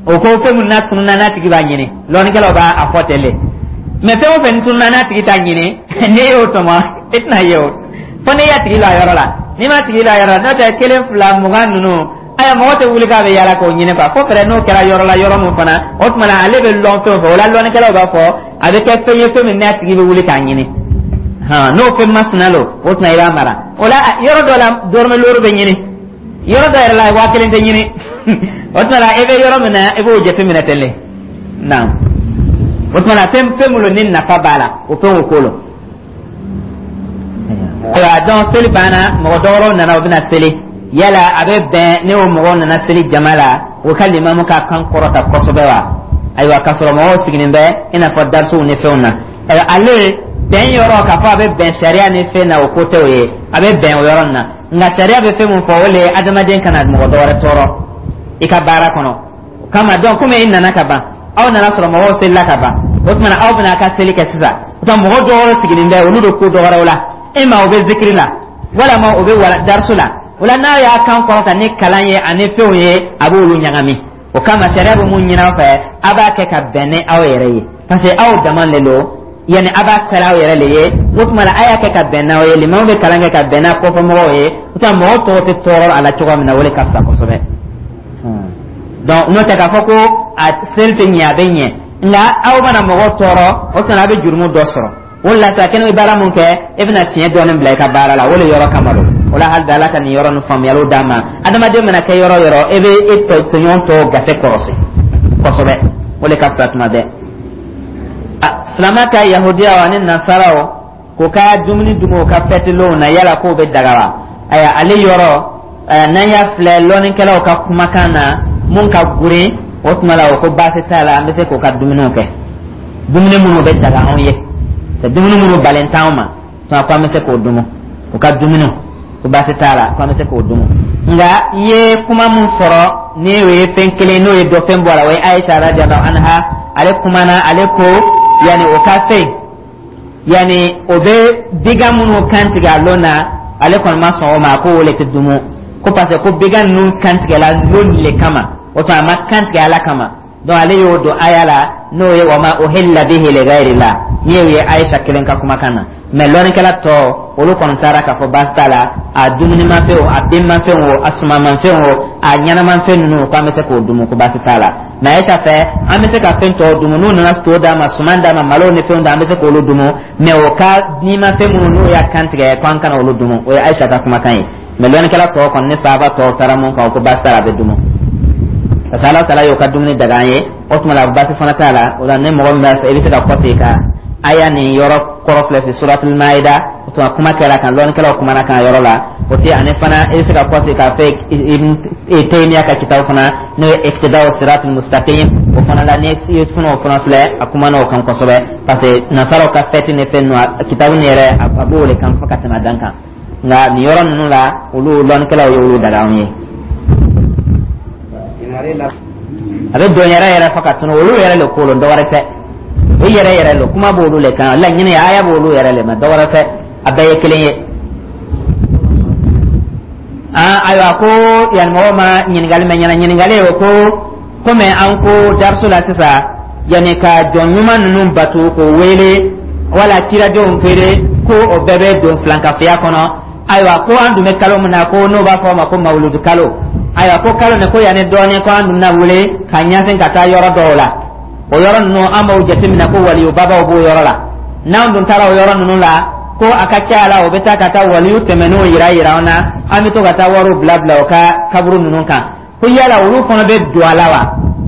O ko fɛn min n'a tununna, n'a tigi b'a ɲini, lɔnnikɛlaw b'a a fɔ ten de. Mɛ fɛn o fɛn tununna, n'a tigi t'a ɲini, n'e y'o tɔmɔ, e tɛna ye o, fo n'i y'a tigi la yɔrɔ la. N'i ma tigi la yɔrɔ la, n'o tɛ, kelen, fila, mugan ninnu, aya, mɔgɔ tɛ wuli k'a bɛ yaala k'o ɲini quoi. Fo fɛrɛ n'o kɛra yɔrɔ la, yɔrɔ min fana, o tuma na, ale bɛ lɔn fɛn o fɛn. O la, lɔnnikɛlaw b'a fɔ a bɛ kɛ fɛn ye, fɛn min n'a tigi bɛ wuli k'a ɲini. Hɔn, n'o fɛn masina lo, o tuma i b'a mara. O la, yɔrɔ dɔ la, dɔrɔmɛ looru bɛ ɲini, yɔrɔ dɔ yɛrɛ la, waa kelen tɛ ɲini. O tuma la, i bɛ yɔrɔ min na, i b'o jateminɛ ten de. Naam, o tuma na, fɛn fɛn minnu ni nafa b'a la, o fɛn o ko lo. Ayiwa, donc seli banna, mɔgɔ dɔwɛrɛw nana, u bɛna seli. Yala a bɛ bɛn ne o mɔgɔw nana seli jama la, o ka limamu ka kan kɔrɔta kosɛbɛ wa? Ayiwa, k'a sɔrɔ mɔgɔw sigilen bɛ i n'a fɔ darisuw ni fɛnw na. Ayiwa, ale bɛn yɔrɔ, k'a fɔ a bɛ bɛn sariya ni fɛn na, o ko tɛ o ye. A bɛ bɛn o yɔrɔ nin na, nka sariya bɛ fɛn min fɔ, o le ye adamaden kana mɔgɔ dɔ wɛrɛ tɔɔrɔ i ka baara kɔnɔ. O kama, donc komi i nana ka ban, aw nana sɔrɔ mɔgɔw selila ka ban, o tuma na, aw bɛna a ka seli kɛ sisan. O tuma, mɔgɔ dɔw sigilen bɛ, olu bɛ ko dɔ wɛrɛw la, e ma o bɛ zikiri la, walama o bɛ wala darisu la. O la, n'a y'a kan kɔrɔta ni kalan ye ani fɛnw ye, a b'olu ɲagami. O kama, sariya bɛ mun ɲini aw fɛ? A b'a kɛ ka bɛn ni aw yɛrɛ ye, parce que aw dama de don. Yanni a b'a kɛra aw yɛrɛ le ye, o tuma la, a y'a kɛ ka bɛn n'aw ye. Limamu bɛ kalan kɛ ka bɛn n'a kɔfɛmɔgɔw ye, o tuma, mɔgɔw tɔgɔ tɛ tɔɔrɔ a la cogoya min na, o de ka fisa kosɛbɛ. Donc n'o tɛ, k'a fɔ ko a seli tɛ ɲɛ, a bɛ ɲɛ, nka aw mana mɔgɔw tɔɔrɔ, o tuma, a bɛ jurumu dɔ sɔrɔ. O de la sa, kɛnɛ bɛ baara mun kɛ, e bɛna tiɲɛ dɔɔnin bila i ka baara la, o de yɔrɔ kama don. O la, hali bi, Ala ka nin yɔrɔ nin faamuyaliw d'an ma. Adamaden mana kɛ yɔrɔ yɔrɔ, e bɛ e tɔɲɔgɔn tɔw gase kɔrɔsi kosɛbɛ, o de ka fisa tuma bɛɛ. Silamɛ ka yahudiyaw ani nasaraw k'u ka dumuni dumu u ka fɛtilenw na, yala k'o bɛ daga wa? Ayiwa, ale yɔrɔ, n'an y'a filɛ lɔnnikɛlaw ka kumakan na, mun ka gurin, o tuma la, o ko baasi t'a la, an bɛ se k'o ka dumuniw kɛ, dumuni minnu bɛ daga anw ye, c'est dumuni minnu balen t'anw ma, tuma ko an bɛ se k'o dumu u ka dumuniw, ko baasi t'a la, ko an bɛ se k'o dumu. Nka i ye kuma mun sɔrɔ, ni o ye fɛn kelen, n'o ye dɔ fɛn bɔ a la, o ye Ayisa radiyallahu anha, ale kumana, ale ko yanni o ka fɛn, yanni o bɛ bigan minnu kan tigɛ a lon na, ale kɔni ma sɔn o ma, ko o le tɛ dumu, ko parce que ko bigan ninnu kan tigɛla lon le kama, o tuma, a ma kan tigɛ Ala kama. Donc ale y'o don aya la, n'o ye wa ma uhilla bihi li ghayrillah, n'i y'o ye Ayisa kelen ka kumakan na. Mɛ lɔnnikɛla tɔ, olu kɔni taara k'a fɔ baasi t'a la, a dumunimafɛn o, a denmafɛn o, a sumanmafɛn o, a ɲɛnamafɛn ninnu, k'an bɛ se k'o dumu, ko baasi t'a la. Mɛ Ayisa fɛ, an bɛ se ka fɛn tɔw dumu. N'u nana to d'a ma, suman d'a ma, malo ni fɛnw d'a, an bɛ se k'olu dumu. Mɛ o ka nimafɛn minnu n'o y'a kan tigɛ, k'an kana olu dumu. O ye Ayisa ka kumakan ye. Mɛ lɔnnikɛla tɔw kɔni ni sahaba tɔw taara mun kan, o ko baasi t'a la, a bɛ dumu, parce que Ala taala y'o ka dumuni daga an ye. O tuma la, baasi fana t'a la. O la, ni mɔgɔ min b'a fɛ, i bɛ se ka kɔsegin ka aya nin yɔrɔ kɔrɔ filɛ fi Suratul Maida. O tuma, kuma kɛra kan, lɔnnikɛlaw kumana kan yɔrɔ la. O tɛ ani fana, i bɛ se ka kɔsegin k'a fɛ Ibn Taymiya ka kitabu fana, n'o ye Iqtida'u Siratul Mustaqim, o fana la, ni i fana o fana filɛ, a kumana o kan kosɛbɛ, parce que nasaraw ka fɛti ni fɛn ninnu, kitabu nin yɛrɛ, a b'o de kan fo ka tɛmɛ a dan kan. Nka nin yɔrɔ ninnu la, olu lɔnnikɛlaw ye olu daga anw ye. A bɛ don yɛrɛ yɛrɛ fɔ ka tunu. Olu yɛrɛ le ko lo, dɔ wɛrɛ tɛ. O yɛrɛ yɛrɛ lo, kuma b'olu le kan, laɲini aya b'olu yɛrɛ le ma, dɔ wɛrɛ tɛ, a bɛɛ ye kelen ye. Aa, ayiwa, ko yan mɔgɔw ma ɲininkali mɛn ɲɛna. Ɲininkali o ko, komi an ko dariso la sisan, yanni ka jɔn ɲuman ninnu batu k'o wele wala ciradenw wele, ko o bɛɛ bɛ don filankafoya kɔnɔ. Ayiwa, ko an dun bɛ kalo min na, ko n'o b'a fɔ o ma ko mawuludu kalo. Ayiwa, ko kalo nin, ko yanni dɔɔnin, ko an dun bɛna wele ka ɲɛsin ka taa yɔrɔ dɔw la. O yɔrɔ ninnu, an b'o jateminɛ ko waliyu babaw b'o yɔrɔ la. N'an dun taara o yɔrɔ ninnu la, ko a ka ca la, o bɛ taa ka taa waliyu tɛmɛnenw yira yira an na, an bɛ to ka taa wariw bila bila o ka kaburu ninnu kan. Ko yala olu fana bɛ don a la wa,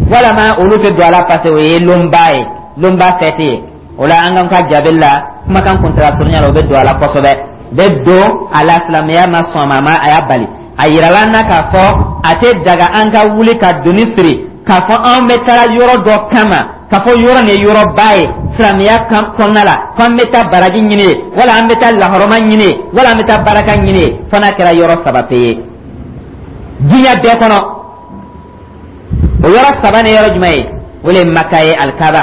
walama olu tɛ don a la, parce que o ye lonba ye, lonba fɛti ye? O la, an ka jaabili la, kumakan kuntala surunya la, o bɛ don a la kosɛbɛ, bɛ don a la. Silamɛya ma sɔn a ma, a y'a bali. A yirala an na k'a fɔ a tɛ daga an ka wuli ka doni siri k'a fɔ an bɛ taa yɔrɔ dɔ kama, k'a fɔ yɔrɔ nin ye yɔrɔba ye silamɛya kɔnɔna la, ko an bɛ taa baraji ɲini ye, wala an bɛ taa lahɔrɔma ɲini ye, wala an bɛ taa baraka ɲini ye, fo n'a kɛra yɔrɔ saba pe ye diɲɛ bɛɛ kɔnɔ. O yɔrɔ saba ni yɔrɔ jumɛn ye? O le ye Maka ye, Alikaba,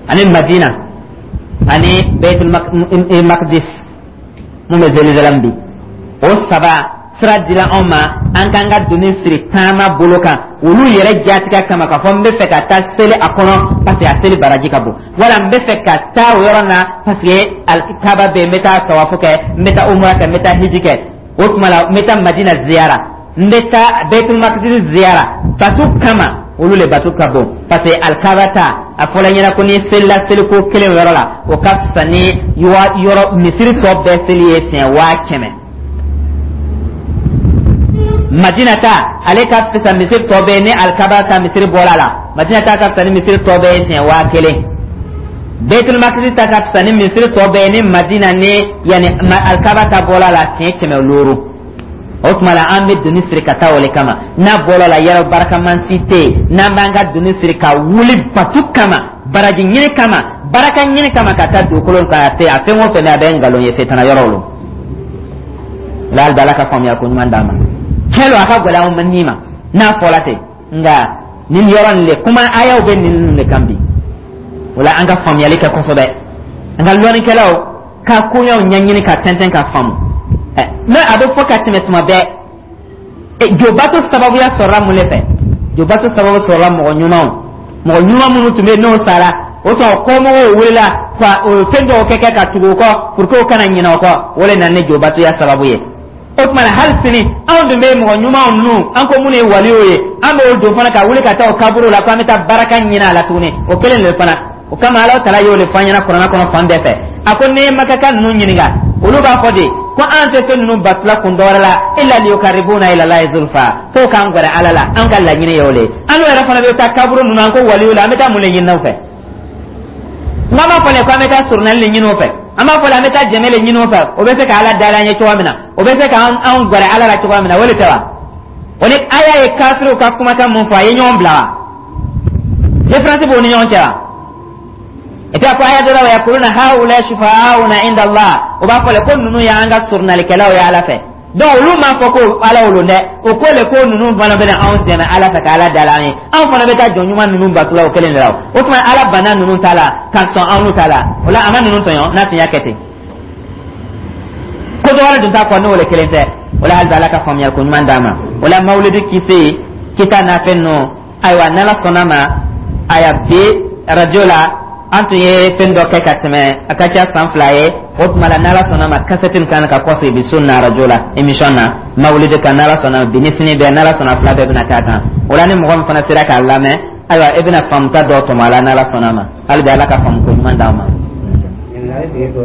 ani Madina, ani Baitul Makdis mun bɛ Jerusalem bi. O saba, sira dila anw ma an k'an ka doni siri taama bolo kan olu yɛrɛ jatigɛ kama, k'a fɔ n bɛ fɛ ka taa seli a kɔnɔ parce que a seli baraji ka bon, wala n bɛ fɛ ka taa o yɔrɔ na parce que Kaba bɛ yen, n bɛ taa tawafu kɛ, n bɛ taa umra kɛ, n bɛ taa hiji kɛ. O tuma la, n bɛ taa Madina ziyara, n bɛ taa Baitul Makdis ziyara batu kama. Olu le batu ka bon, parce que Alikaba ta, a fɔla ɲɛna ko ni selila seliko kelen yɔrɔ la, o ka fisa ni yɔrɔ misiri tɔ bɛɛ seli ye siɲɛ waa kɛmɛ. Madina ta, ale ka fisa misiri tɔ bɛɛ ni Alikaba ta misiri bɔra la. Madina ta ka fisa ni misiri tɔ bɛɛ ye siɲɛ waa kelen. Baitul Makdis ta ka fisa ni misiri tɔ bɛɛ ni Madina ni yanni Alikaba ta bɔra la siɲɛ kɛmɛ looro. O tuma la, an bɛ doni siri ka taa o le kama. N'a bɔra la, yɔrɔ barakaman si tɛ yen n'an b'an ka doni siri ka wuli batu kama, baraji ɲini kama, baraka ɲini kama, ka taa dugukolo kan. A tɛ a fɛn o fɛn, a bɛ nkalon ye, setana yɔrɔ lo la. Hali Ala ka faamuya ko ɲuman d'an ma. Tiɲɛ don, a ka gɛlɛn anw ni ma n'a fɔla ten, nka nin yɔrɔ nin le kuma, ayaw bɛ nin ninnu de kan bi. O la, an ka faamuyali kɛ kosɛbɛ, an ka lɔnnikɛlaw ka koɲɛw ɲɛɲini ka tɛntɛn ka faamu. Ɛ, n'o a bɛ fɔ ka tɛmɛ tuma bɛɛ, jobato sababuya sɔrɔla mun de fɛ? Jobato sababu sɔrɔla mɔgɔ ɲumanw, mɔgɔ ɲuman minnu tun bɛ yen n'o sara, o sɔrɔ kɔmɔgɔw wulila ka o fɛn dɔw kɛ kɛ ka tugu o kɔ pour que o kana ɲinɛ o kɔ. O de nana ni jobatoya sababu ye. O tuma na, hali sini, anw dun bɛ mɔgɔ ɲumanw ninnu, an ko minnu ye waliw ye, an b'o don fana ka wuli ka taa o kaburu la ko an bɛ taa baraka ɲini a la tuguni. O kelen de fana, o kama Ala tala y'o de fɔ an ɲɛna Kuranɛ kɔnɔ fan bɛɛ fɛ. A ko n'i ye Makaka ninnu ɲininka, olu b'a fɔ de ko an tɛ fɛn ninnu batula kun dɔwɛrɛ la illa liyukarribuna ila Allahi zulfa, k'o k'an gɛrɛ Ala la. An ka laɲini ye o de ye. An n'o yɛrɛ fana bɛ taa kaburu ninnu, an ko waliw la, an bɛ taa mun de ɲini u fɛ? N'an b'a fɔ le ko an bɛ taa surunali de ɲini o fɛ, an b'a fɔ le an bɛ taa jɛmɛ de ɲini o fɛ, o bɛ se ka Ala dayɛlɛ an ye cogoya min na, o bɛ se k'an anw gɛrɛ Ala la cogoya min na, o de tɛ wa? O ni aya ye kafiriw ka kumakan mun fɔ, a ye ɲɔgɔn bila wa? Différence b'o ni ɲɔgɔn cɛ wa? Et puis a ko aya dɔ la: wa yaquluna haula shufa'auna inda Allah. O b'a fɔ le ko ninnu y'an ka surunalikɛlaw ye Ala fɛ. Donc olu m'a fɔ ko Ala wolo dɛ, o ko le ko ninnu fana bɛna anw dɛmɛ Ala fɛ ka Ala dala an ye. Anw fana bɛ taa jɔn ɲuman ninnu batula o kelen de la. O tuma, Ala banna ninnu ta la ka sɔn anw ta la. O la, a ma ninnu tɔɲɔ n'a tun y'a kɛ ten. Ko dɔ wɛrɛ dun t'a kɔ n'o le kelen tɛ. O la, hali bi, Ala ka faamuya ko ɲuman d'an ma. O la, mawulidi kise kita n'a fɛn ninnu, ayiwa, n'Ala sɔnna ma, aya bi radio la. An tun ye fɛn dɔ kɛ ka tɛmɛ, a ka ca san fila ye. O tuma la, n'Ala sɔnna ma, kasɛti nin kan ka kɔsegin bi so na arajo la, émission na mawulidi kan. N'Ala sɔnna, bi ni sini bɛɛ, n'Ala sɔnna, fila bɛɛ bɛna k'a kan. O la, ni mɔgɔ min fana sera k'a lamɛn, ayiwa, e bɛna faamuta dɔ tɔmɔ a la, n'Ala sɔnna ma. Hali bi, Ala ka faamu ko ɲuman d'an ma. Ɲininkali sigi ko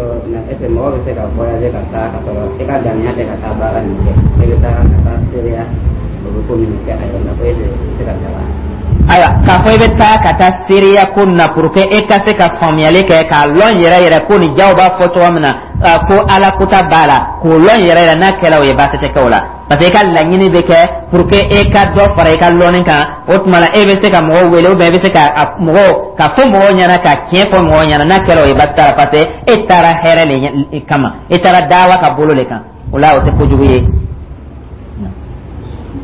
est ce que mɔgɔ bɛ se ka voyager ka taa ka sɔrɔ i ka ŋaniya tɛ ka taa baara nin kɛ, e bɛ taa ka taa seereya, o bɛ ko minnu kɛ a yɛrɛ la, ko est ce que i bɛ se ka taa? Ayiwa, k'a fɔ i bɛ taa ka taa seereya ko na pour que e ka se ka faamuyali kɛ k'a lɔn yɛrɛ yɛrɛ ko nin jaw b'a fɔ cogo min na, ko Ala kota b'a la, k'o lɔn yɛrɛ yɛrɛ, n'a kɛra o ye, baasi tɛ kɛ o la, parce que i ka laɲini bɛ kɛ pour que e ka dɔ fara i ka lɔnni kan. O tuma la, e bɛ se ka mɔgɔw wele ou bien e bɛ se ka mɔgɔw ka fɔ mɔgɔw ɲɛna, ka tiɲɛ fɔ mɔgɔw ɲɛna. N'a kɛra o ye, baasi t'a la, parce que e taara hɛrɛ le kama, e taara dawa ka bolo le kan. O la, o tɛ kojugu ye.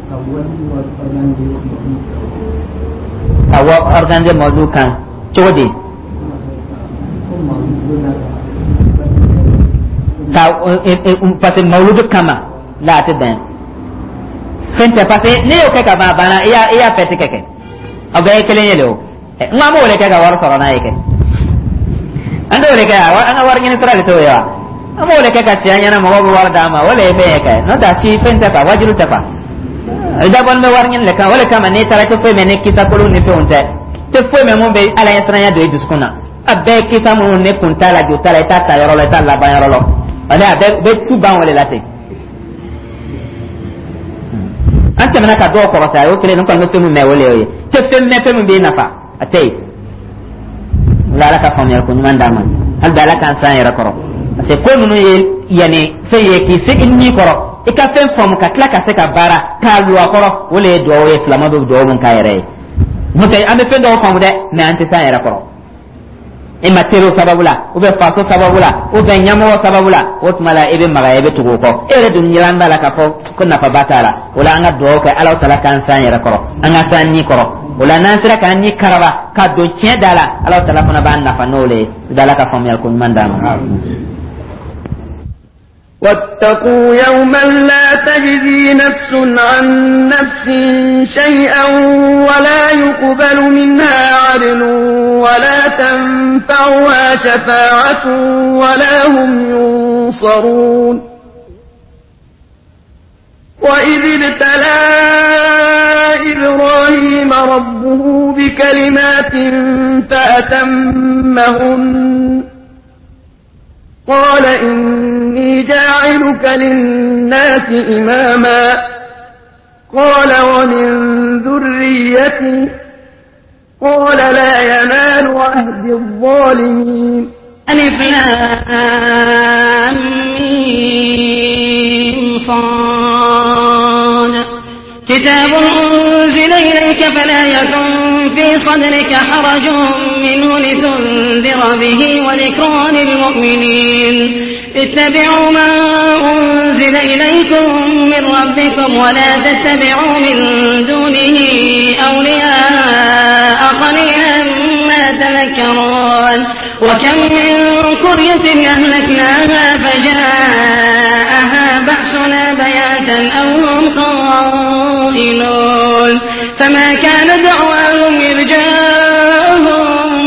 Ka wari organiser. Ka wa organiser mawdu kan cogo di? Ko mawludu na. Ka parce que mawludu kama la, a tɛ bɛn, fɛn tɛ, parce que ne y'o kɛ ka ban, a banna. I y'a i y'a fɛti kɛ kɛ aw bɛɛ ye kelen ye le. O n ko an b'o de kɛ ka wari sɔrɔ n'a ye kɛ, an t'o de kɛ, an ka wari ɲini sira de t'o ye wa? An b'o de kɛ ka si an ɲɛna, mɔgɔw bɛ wari d'an ma, o de ye fɛn ye kɛ. N'o tɛ, a si fɛn tɛ quoi, wajibi tɛ quoi. I dabɔlen bɛ wari ɲini de kan. O de kama, n'i taara, i tɛ foyi mɛn ni kisa kolon ni fɛnw tɛ, tɛ foyi mɛn mun bɛ Ala ɲɛsiranya don i dusukun na. A bɛɛ ye kisa minnu ne kun t'a la, jo t'a la, i t'a ta yɔrɔ la, i t'a laban yɔrɔ la, ani a bɛɛ bɛ su ban o de la ten. An tɛmɛna ka dɔw kɔrɔta, a y'o kelen. Ne kɔni bɛ fɛn min mɛn, o de y'o ye. Tɛ fɛn mɛn, fɛn min b'i nafa, a tɛ yen. O la, Ala ka faamuyali ko ɲuman d'an ma. Hali bi, Ala k'an san yɛrɛ kɔrɔ, parce que ko ninnu ye yanni fɛn ye k'i se i ni kɔrɔ, i ka fɛn faamu ka tila ka se ka baara k'a lu a kɔrɔ, o de ye duwawu ye. Silamɛ bɛ duwawu mun k'a yɛrɛ ye, n'o tɛ, an bɛ fɛn dɔw faamu dɛ, mais an tɛ s'an yɛrɛ kɔrɔ. E ma teriw sababu la, ou bien faso sababu la, ou bien ɲɛmɔgɔ sababu la, o tuma la, i bɛ magaya, i bɛ tugu o kɔ. E yɛrɛ dun ɲɛlan b'a la k'a fɔ ko nafaba t'a la. O la, an ka duwawu kɛ, Ala tala k'an s'an yɛrɛ kɔrɔ, an ka s'an ni kɔrɔ. O la, n'an sera k'an ni karaba ka don tiɲɛ da la, Ala tala fana b'an nafa n'o le ye. Ala ka faamuyali ko ɲuman d'an ma. واتقوا يوما لا تجزي نفس عن نفس شيئا ولا يقبل منها عدل ولا تنفعها شفاعة ولا هم ينصرون. وإذ ابتلى إبراهيم ربه بكلمات فأتمهن قال إني جاعلك للناس إماما قال ومن ذريتي قال لا ينال عهد الظالمين. ألف لام ميم صاد. كتاب أنزل إليك فلا يكن في صدرك حرج منه لتنذر به وذكرى للمؤمنين. اتبعوا ما أنزل إليكم من ربكم ولا تتبعوا من دونه أولياء قليلا ما تذكرون. وكم من قرية أهلكناها فجاءها بأسنا بياتا أو هم قائلون. فما كان دعواهم إذ جاءهم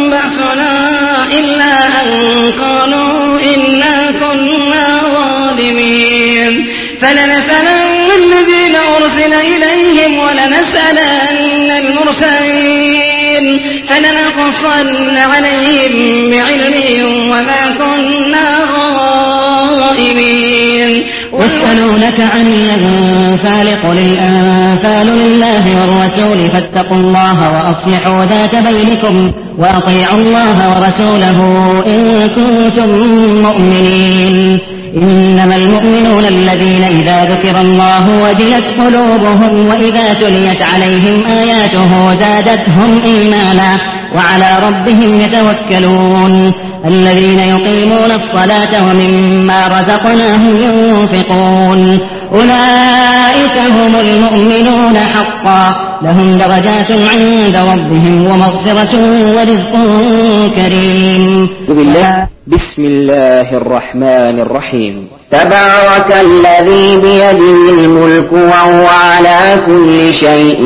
بأسنا إلا أن قالوا إنا كنا ظالمين. فلنسألن الذين أرسل إليهم ولنسألن المرسلين فلنقصن عليهم بعلم وما كنا غائبين. يسألونك عن الأنفال قل الأنفال لله والرسول فاتقوا الله وأصلحوا ذات بينكم وأطيعوا الله ورسوله إن كنتم مؤمنين. إنما المؤمنون الذين إذا ذكر الله وجلت قلوبهم وإذا تليت عليهم آياته زادتهم إيمانا وعلى ربهم يتوكلون. الذين يقيمون الصلاة ومما رزقناهم ينفقون. أولئك هم المؤمنون حقا لهم درجات عند ربهم ومغفرة ورزق كريم. بسم الله الرحمن الرحيم. تبارك الذي بيده الملك وهو على كل شيء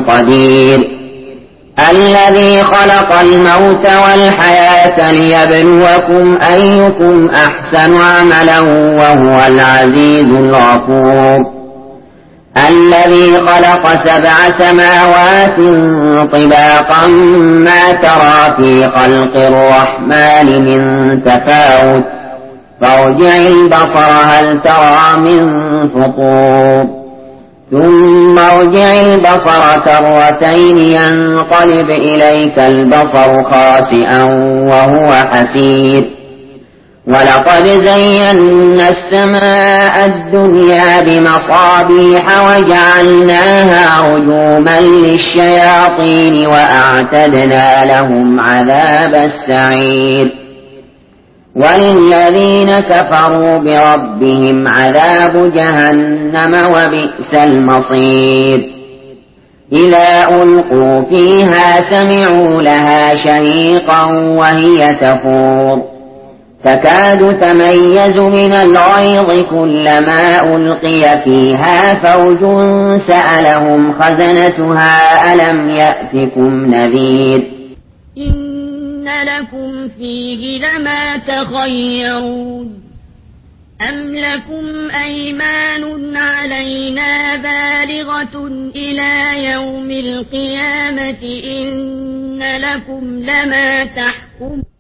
قدير. الذي خلق الموت والحياة ليبلوكم أيكم أحسن عملا وهو العزيز الغفور. الذي خلق سبع سماوات طباقا ما ترى في خلق الرحمن من تفاوت فارجع البصر هل ترى من فطور. ثم ارجع البصر كرتين ينقلب إليك البصر خاسئا وهو حسير. ولقد زينا السماء الدنيا بمصابيح وجعلناها رجوما للشياطين وأعتدنا لهم عذاب السعير. وللذين كفروا بربهم عذاب جهنم وبئس المصير. إذا ألقوا فيها سمعوا لها شهيقا وهي تفور. تكاد تميز من الغيظ كلما ألقي فيها فوج سألهم خزنتها ألم يأتكم نذير. إن لكم فيه لما تخيرون أم لكم أيمان علينا بالغة إلى يوم القيامة إن لكم لما تحكمون.